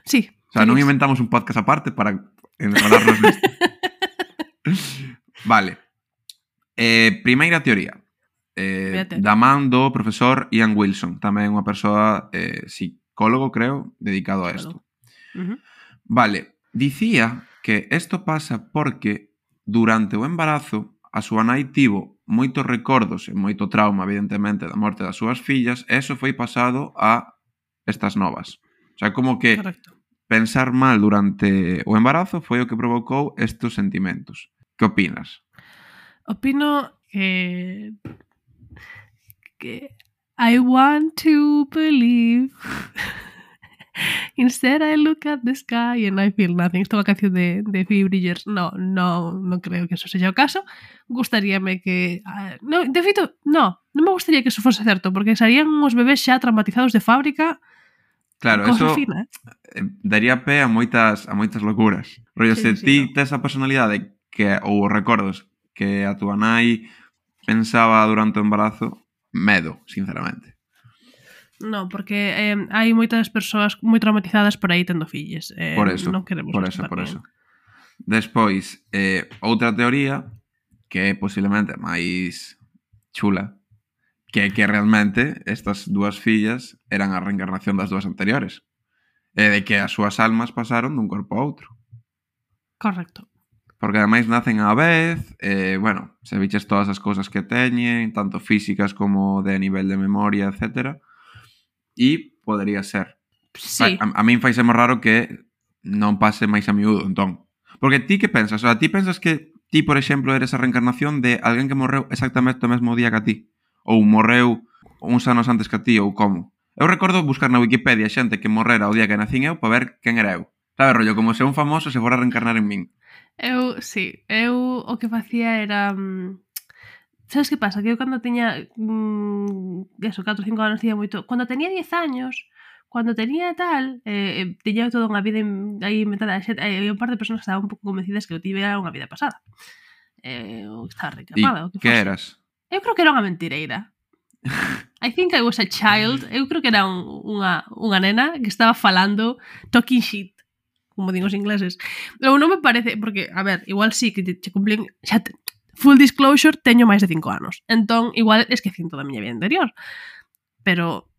Sí. O sea, non inventamos un podcast aparte para enrolarnos nisto. Vale. Eh, primeira teoría. Eh, da man do profesor Ian Wilson, tamén unha persoa eh, psicólogo, creo, dedicado a isto. Uh-huh. Vale, dicía que isto pasa porque durante o embarazo a súa nai tivo moitos recordos e moito trauma, evidentemente, da morte das súas fillas, e eso foi pasado a estas novas. O sea, como que Correcto. Pensar mal durante o embarazo foi o que provocou estes sentimentos. Que opinas? Opino que... que I want to believe. Instead I look at the sky and I feel nothing. Esta é unha canción de, de Phoebe Bridgers. No, no, non creo que eso sexa o caso. Gustaríame que... Uh, no, de feito, no, non me gustaría que eso fose certo, porque serían uns bebés xa traumatizados de fábrica. Claro, eso fina, eh? daría pé a moitas, a moitas locuras. Rollo, sí, se sí, ti no. tes a personalidade que, ou os recordos que a túa nai pensaba durante o embarazo, medo, sinceramente. No, porque eh, hai moitas persoas moi traumatizadas por aí tendo filles. Eh, por eso, non queremos por eso, por eso. Despois, eh, outra teoría que é posiblemente máis chula, que é que realmente estas dúas fillas eran a reencarnación das dúas anteriores. E de que as súas almas pasaron dun corpo a outro. Correcto. Porque ademais nacen á vez, eh, bueno, se viches todas as cousas que teñen, tanto físicas como de nivel de memoria, etcétera. E podería ser. Sí. A, a, a min faisemo raro que non pase máis a miúdo, entón. Porque ti que pensas? O sea, ti pensas que ti, por exemplo, eres a reencarnación de alguén que morreu exactamente o mesmo día que a ti? Ou morreu uns anos antes que a ti, ou como? Eu recordo buscar na Wikipedia xente que morrera o día que nacín eu para ver quen era eu. Sabe, rollo, como se un famoso se fora a reencarnar en min. Eu, sí, eu o que facía era... Sabes que pasa? Que eu cando teña mmm, eso, catro ou cinco anos tiña moito... Cando tenía diez años, cando tenía tal, eh, tiña toda unha vida aí inventada. Hai un par de persoas que estaban un pouco convencidas que eu tivera unha vida pasada. Eh, eu estaba reencarnada. E que, que eras? Eu creo que era unha mentireira. I think I was a child. Eu creo que era un, unha, unha nena que estaba falando talking shit, como digo os ingleses. Eu non me parece, porque, a ver, igual sí que te, te cumplín, xa te, full disclosure, teño máis de cinco anos. Entón, igual esquecín toda a miña vida anterior. Pero,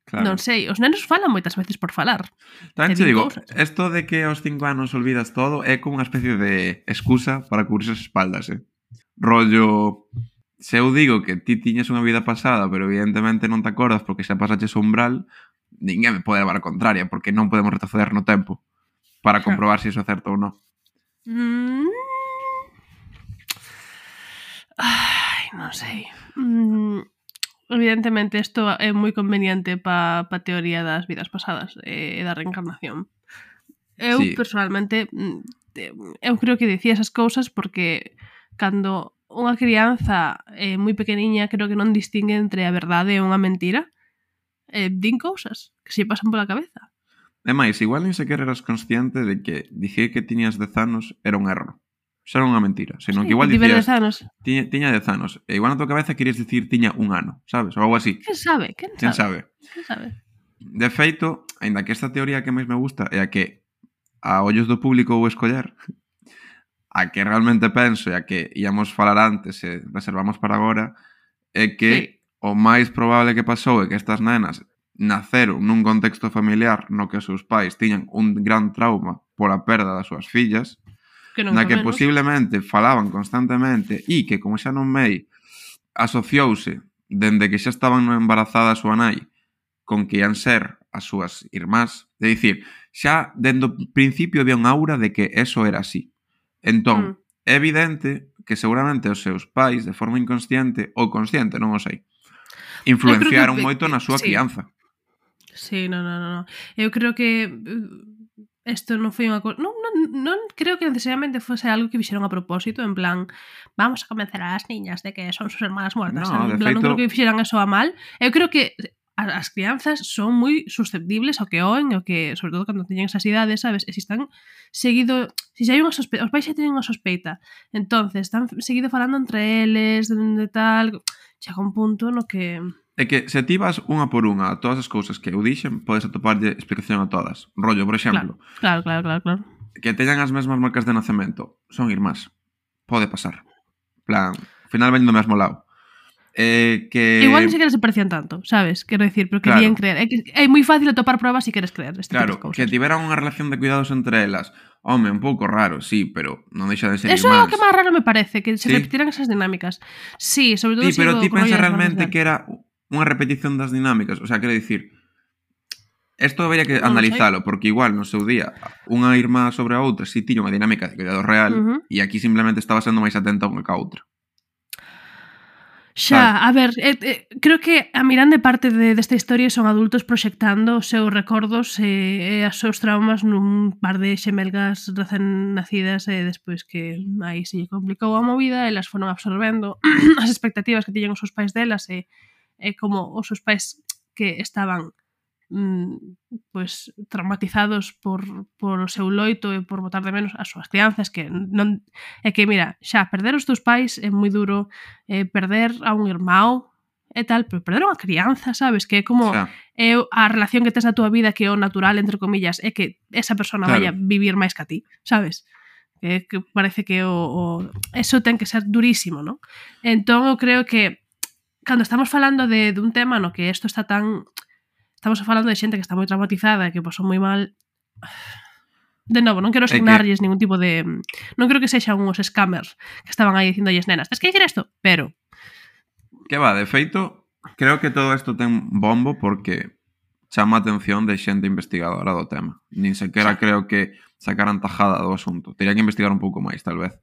claro, non sei, os nenos falan moitas veces por falar. Tamén te digo, isto de que aos cinco anos olvidas todo é como unha especie de excusa para cubrirse as espaldas, eh? Rollo, se eu digo que ti tiñes unha vida pasada, pero evidentemente non te acordas porque xa pasaches o umbral, ninguén me pode levar a contraria, porque non podemos retroceder no tempo para comprobar se iso é certo ou non. Mm. Ai, non sei. Mm, evidentemente, isto é moi conveniente pa, pa teoría das vidas pasadas e eh, da reencarnación. Eu, sí, personalmente, eu creo que dicía esas cousas porque cando unha crianza eh, moi pequeniña creo que non distingue entre a verdade e unha mentira, eh, din cousas que se pasan pola cabeza. É máis, igual nin sequer eras consciente de que dicir que tiñas dez anos era un erro. Xa era unha mentira, senón sí, que igual dicías tiña, tiña dez anos, e igual na tua cabeza querías dicir tiña un ano, sabes? Ou algo así. Quen sabe? Quen, Quen sabe? sabe? Quen sabe? De feito, aínda que esta teoría que máis me gusta é a que a ollos do público vou escoller, a que realmente penso e a que íamos falar antes e reservamos para agora, é que sí, o máis probable que pasou é que estas nenas naceron nun contexto familiar no que os seus pais tiñan un gran trauma pola perda das súas fillas, que na que menos. posiblemente falaban constantemente e que, como xa non mei, asociouse dende que xa estaban embarazadas a súa nai con que ian ser as súas irmás. É dicir, xa dende o principio había un aura de que eso era así. Entón, mm. é evidente que seguramente os seus pais, de forma inconsciente ou consciente, non o sei, influenciaron que, moito na súa sí, crianza. Sí, no, no, no, no. Eu creo que isto non foi unha cosa... Non, non, non creo que necesariamente fose algo que fixeron a propósito, en plan, vamos a convencer a las niñas de que son sus hermanas muertas. No, de En plan, non creo feito, que fixeran eso a mal. Eu creo que a- as crianzas son moi susceptibles ao que oen, ao que, sobre todo cando teñen esas idades, sabes? E se están seguido... Se xa hai unha sospeita, os pais xa teñen unha sospeita, entonces están seguido falando entre eles, de, de tal... Chega un punto no que... é que se ti vas unha por unha a todas as cousas que eu dixen, podes atoparlle explicación a todas. Rollo, por exemplo, Claro, claro, claro, claro, claro. que teñan as mesmas marcas de nacemento. Son irmás. Pode pasar. Plan, ao final ven do mesmo lado. Eh, que... Igual ni siquiera se parecían tanto, sabes? Quero decir, pero Claro. querían creer. É, que é moi fácil atopar pruebas se queres creer este Claro, tipo de que cousas. tiveran unha relación de cuidados entre elas. Home, un pouco raro, sí, pero non deixa de ser Eso é irmáns. o que máis raro me parece, que se Sí. repetiran esas dinámicas. Sí, sobre todo Sí, pero se ti co- pensa rollo das realmente hermanas que era unha repetición das dinámicas? O sea, quero dicir, isto habería que Non analizalo, porque igual no seu día unha irmá sobre a outra si tiña unha dinámica de cuidado real, Ujú. e aquí simplemente estaba sendo máis atenta unha ca outra. Xa, a ver, eh, eh, creo que a mirande parte de, desta historia son adultos proxectando os seus recordos e, e os seus traumas nun par de xemelgas recén nacidas e despois que aí se lle complicou a movida, elas foron absorbendo as expectativas que tiñan os seus pais delas e, e como os seus pais que estaban mm, pois traumatizados por, por o seu loito e por botar de menos as súas crianzas, que non é que mira, xa perder os teus pais é moi duro, eh, perder a un irmão e tal, pero perder a unha crianza, sabes? Que é como Xa, é a relación que tes na túa vida que é o natural, entre comillas, é que esa persona Claro. vaya vivir máis que a ti, sabes? Que, que parece que o, o eso ten que ser durísimo, ¿no? Entón eu creo que cando estamos falando de, de un tema no que isto está tan... Estamos falando de xente que está moi traumatizada e que pasou moi mal. De novo, non quero que- asignarlles ningún tipo de... Non creo que sexan uns scammers que estaban aí dicindo as nenas, tens que dicir isto, pero... que va, de feito, creo que todo isto ten bombo porque chama a atención de xente investigadora do tema. Nin sequera Xa. creo que sacaran tajada do asunto. Tería que investigar un pouco máis, tal vez.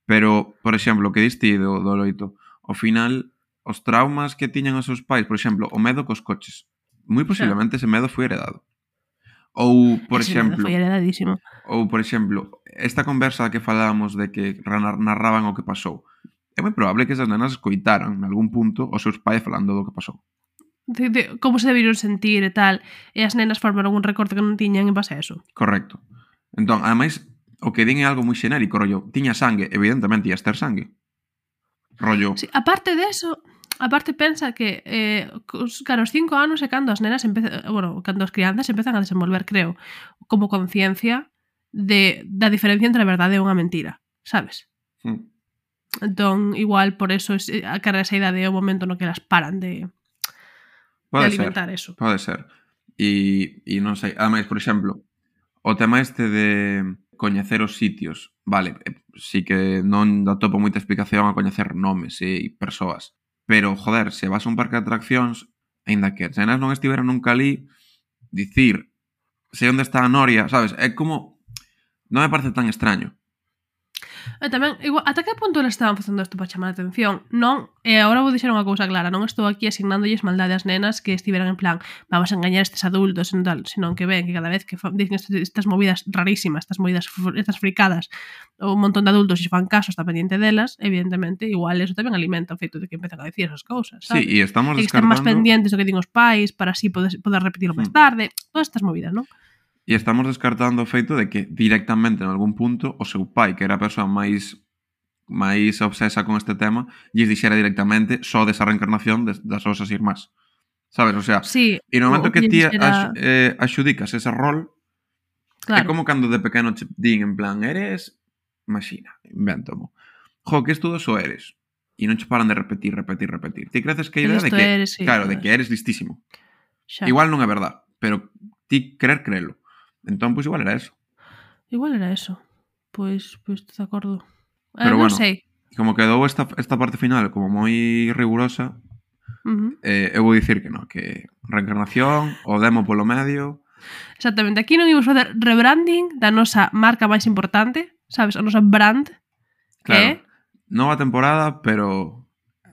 Pero, por exemplo, o que diste do, do loito, ao final, os traumas que tiñan os seus pais, por exemplo, o medo cos coches, moi posiblemente ese medo foi heredado. Ou, por Ese medo exemplo, foi heredadísimo. ou, por exemplo, esta conversa que falábamos de que ranar- narraban o que pasou, é moi probable que esas nenas escoitaran, en algún punto, os seus pais falando do que pasou. De, de, como se deberían sentir e tal, e as nenas formaron un recorte que non tiñan en base a eso. Correcto. Entón, ademais, o que din é algo moi xenérico, rollo, tiña sangue, evidentemente ias ter sangue. Rollo, Sí, aparte de eso, aparte pensa que eh, cos, claro, os cinco anos é cando as nenas empezan, bueno, cando as crianzas empezan a desenvolver, creo, como conciencia de da diferencia entre a verdade e unha mentira, sabes? mm, Entón, igual por eso es, a cara esa idade é o momento no que elas paran de, de pode alimentar ser, eso. pode ser. E, e non sei, ademais, por exemplo, o tema este de coñecer os sitios, vale, eh, sí que non atopo moita explicación a coñecer nomes e persoas, pero, joder, se vas a un parque de atraccións, aínda que as nenas non estiveran nunca ali, dicir, sei onde está a Noria, sabes, é como, non me parece tan extraño. E tamén, igual, ata que punto eles estaban facendo isto para chamar a atención? Non, e agora vou dixer unha cousa clara, non estou aquí asignándoles maldade ás nenas que estiveran en plan, vamos a engañar a estes adultos e tal, senón que ven que cada vez que fa, dicen este- estas movidas rarísimas, estas movidas, fr- estas fricadas, ou un montón de adultos e fan caso, está pendiente delas, evidentemente, igual eso tamén alimenta o feito de que empezan a decir esas cousas, Sí, sabes? e estamos E que estén máis descartando... pendientes do que din os pais para así poder, poder repetirlo máis Hmm. tarde, todas estas movidas, non? E estamos descartando o feito de que directamente en algún punto o seu pai, que era a persoa máis máis obsesa con este tema, lles dixera directamente só desa reencarnación des, das osas irmás. Sabes? O sea, Sí, e no momento o que lle ti dixera- ax, eh, axudicas ese rol, é claro. como cando de pequeno che din en plan, eres, imagina, invéntomo, jo, que estudo só eres? E non che paran de repetir, repetir, repetir. Ti creces que a idea de Listo que, eres, sí, claro, de joder. que eres listísimo. Xa. Igual non é verdad, pero ti querer creelo. Entón, pois igual era eso. Igual era eso. Pois, pois estou de acordo. Eh, Pero non bueno. sei. Como quedou esta, esta parte final como moi rigurosa, Uh -huh. eh, eu vou dicir que non, que reencarnación, o demo polo medio... Exactamente. Aquí non imos facer rebranding da nosa marca máis importante, sabes? A nosa brand, que Claro, é... nova temporada, pero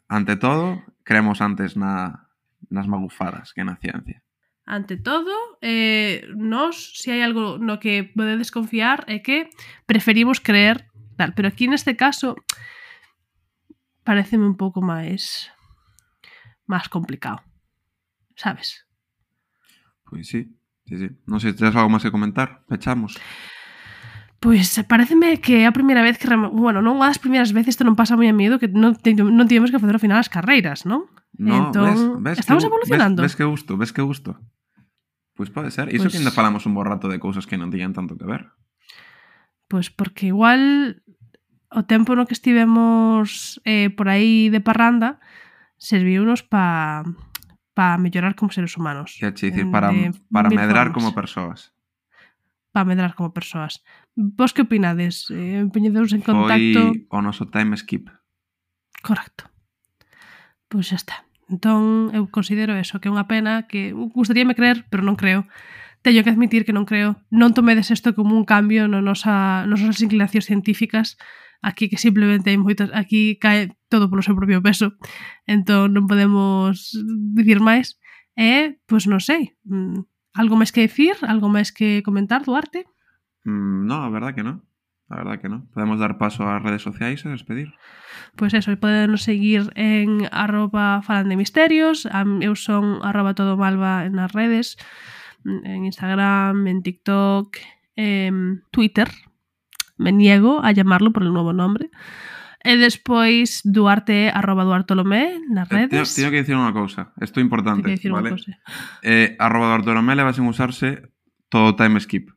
ante todo, creemos antes na, nas magufadas que na ciencia. ante todo, eh, nos, se hai algo no que podedes confiar, é que preferimos creer tal, pero aquí neste caso pareceme un pouco máis máis complicado, sabes? Pois sí, sí, sí. Non sei, tens algo máis que comentar? Pechamos. Pois pareceme que é a primeira vez que, bueno, non unha das primeiras veces, isto non pasa moi a medo, que non, te, non tivemos que facer ao final as carreiras, non? No, entón, ves, ves estamos que, evolucionando. Ves, ves que gusto, ves que gusto. Pois pode ser. Iso Pois, que ainda falamos un bo rato de cousas que non tiñan tanto que ver. Pois porque igual o tempo no que estivemos eh, por aí de parranda serviunos pa pa mellorar como seres humanos. Que che dicir, para, para medrar como persoas. Para medrar como persoas. Vos que opinades? Eh, Poñedeus en contacto... Foi o noso time skip. Correcto. Pois xa está. Entón, eu considero eso, que é unha pena, que gustaríame creer, pero non creo. Teño que admitir que non creo. Non tomedes isto como un cambio no nosa, nos nosas inclinacións científicas. Aquí que simplemente hai moitas... Aquí cae todo polo seu propio peso. Entón, non podemos dicir máis. E, pois non sei, algo máis que dicir? Algo máis que comentar, Duarte? Mm, no, a verdad que non. A verdad que non. Podemos dar paso ás redes sociais e despedir. Pois eso, poden seguir en arroba falan de misterios, eu son arroba todo malva nas redes, en Instagram, en TikTok, en Twitter, me niego a llamarlo por el nuevo nombre, e despois Duarte arroba Duartolomé nas redes. Teño que dicir unha cousa, isto é importante, vale? Eh, arroba Duartolomé leva sen usarse todo time skip,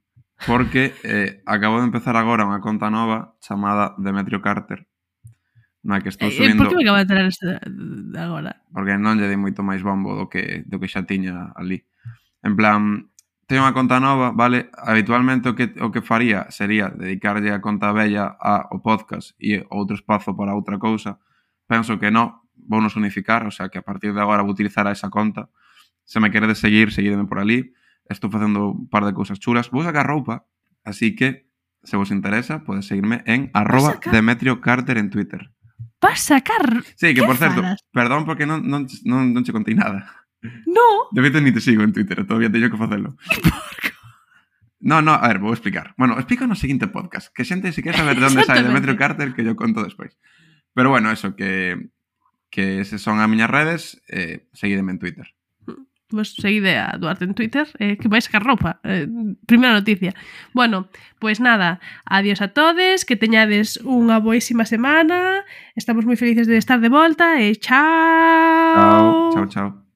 porque eh, acabo de empezar agora unha conta nova chamada Demetrio Carter, na que estou subindo... Por que me acaba de entrar este agora? Porque non lle dei moito máis bombo do que, do que xa tiña ali. En plan, teño unha conta nova, vale? Habitualmente o que, o que faría sería dedicarlle a conta vella ao podcast e outro espazo para outra cousa. Penso que non, vou nos unificar, o sea que a partir de agora vou utilizar a esa conta. Se me queredes seguir, seguideme por ali. Estou facendo un par de cousas chulas. Vou sacar roupa, así que, se vos interesa, podes seguirme en arroba Demetrio Carter en Twitter. Vas sacar? Sí, que por certo, falas? perdón porque non, non, non, non che contei nada. No. De feito, ni te sigo en Twitter, todavía teño que facelo. No, no, a ver, vou explicar. Bueno, explico no seguinte podcast, que xente se quer saber de onde sai Demetrio Carter, que yo conto despois. Pero bueno, eso, que que se son as miñas redes, eh, seguideme en Twitter. Pues seguide a Duarte en Twitter, eh, que vais sacar roupa. Eh, primeira noticia. Bueno, pois pues nada, adiós a todes, que teñades unha boísima semana, estamos moi felices de estar de volta e chao. Chao, chao, chao.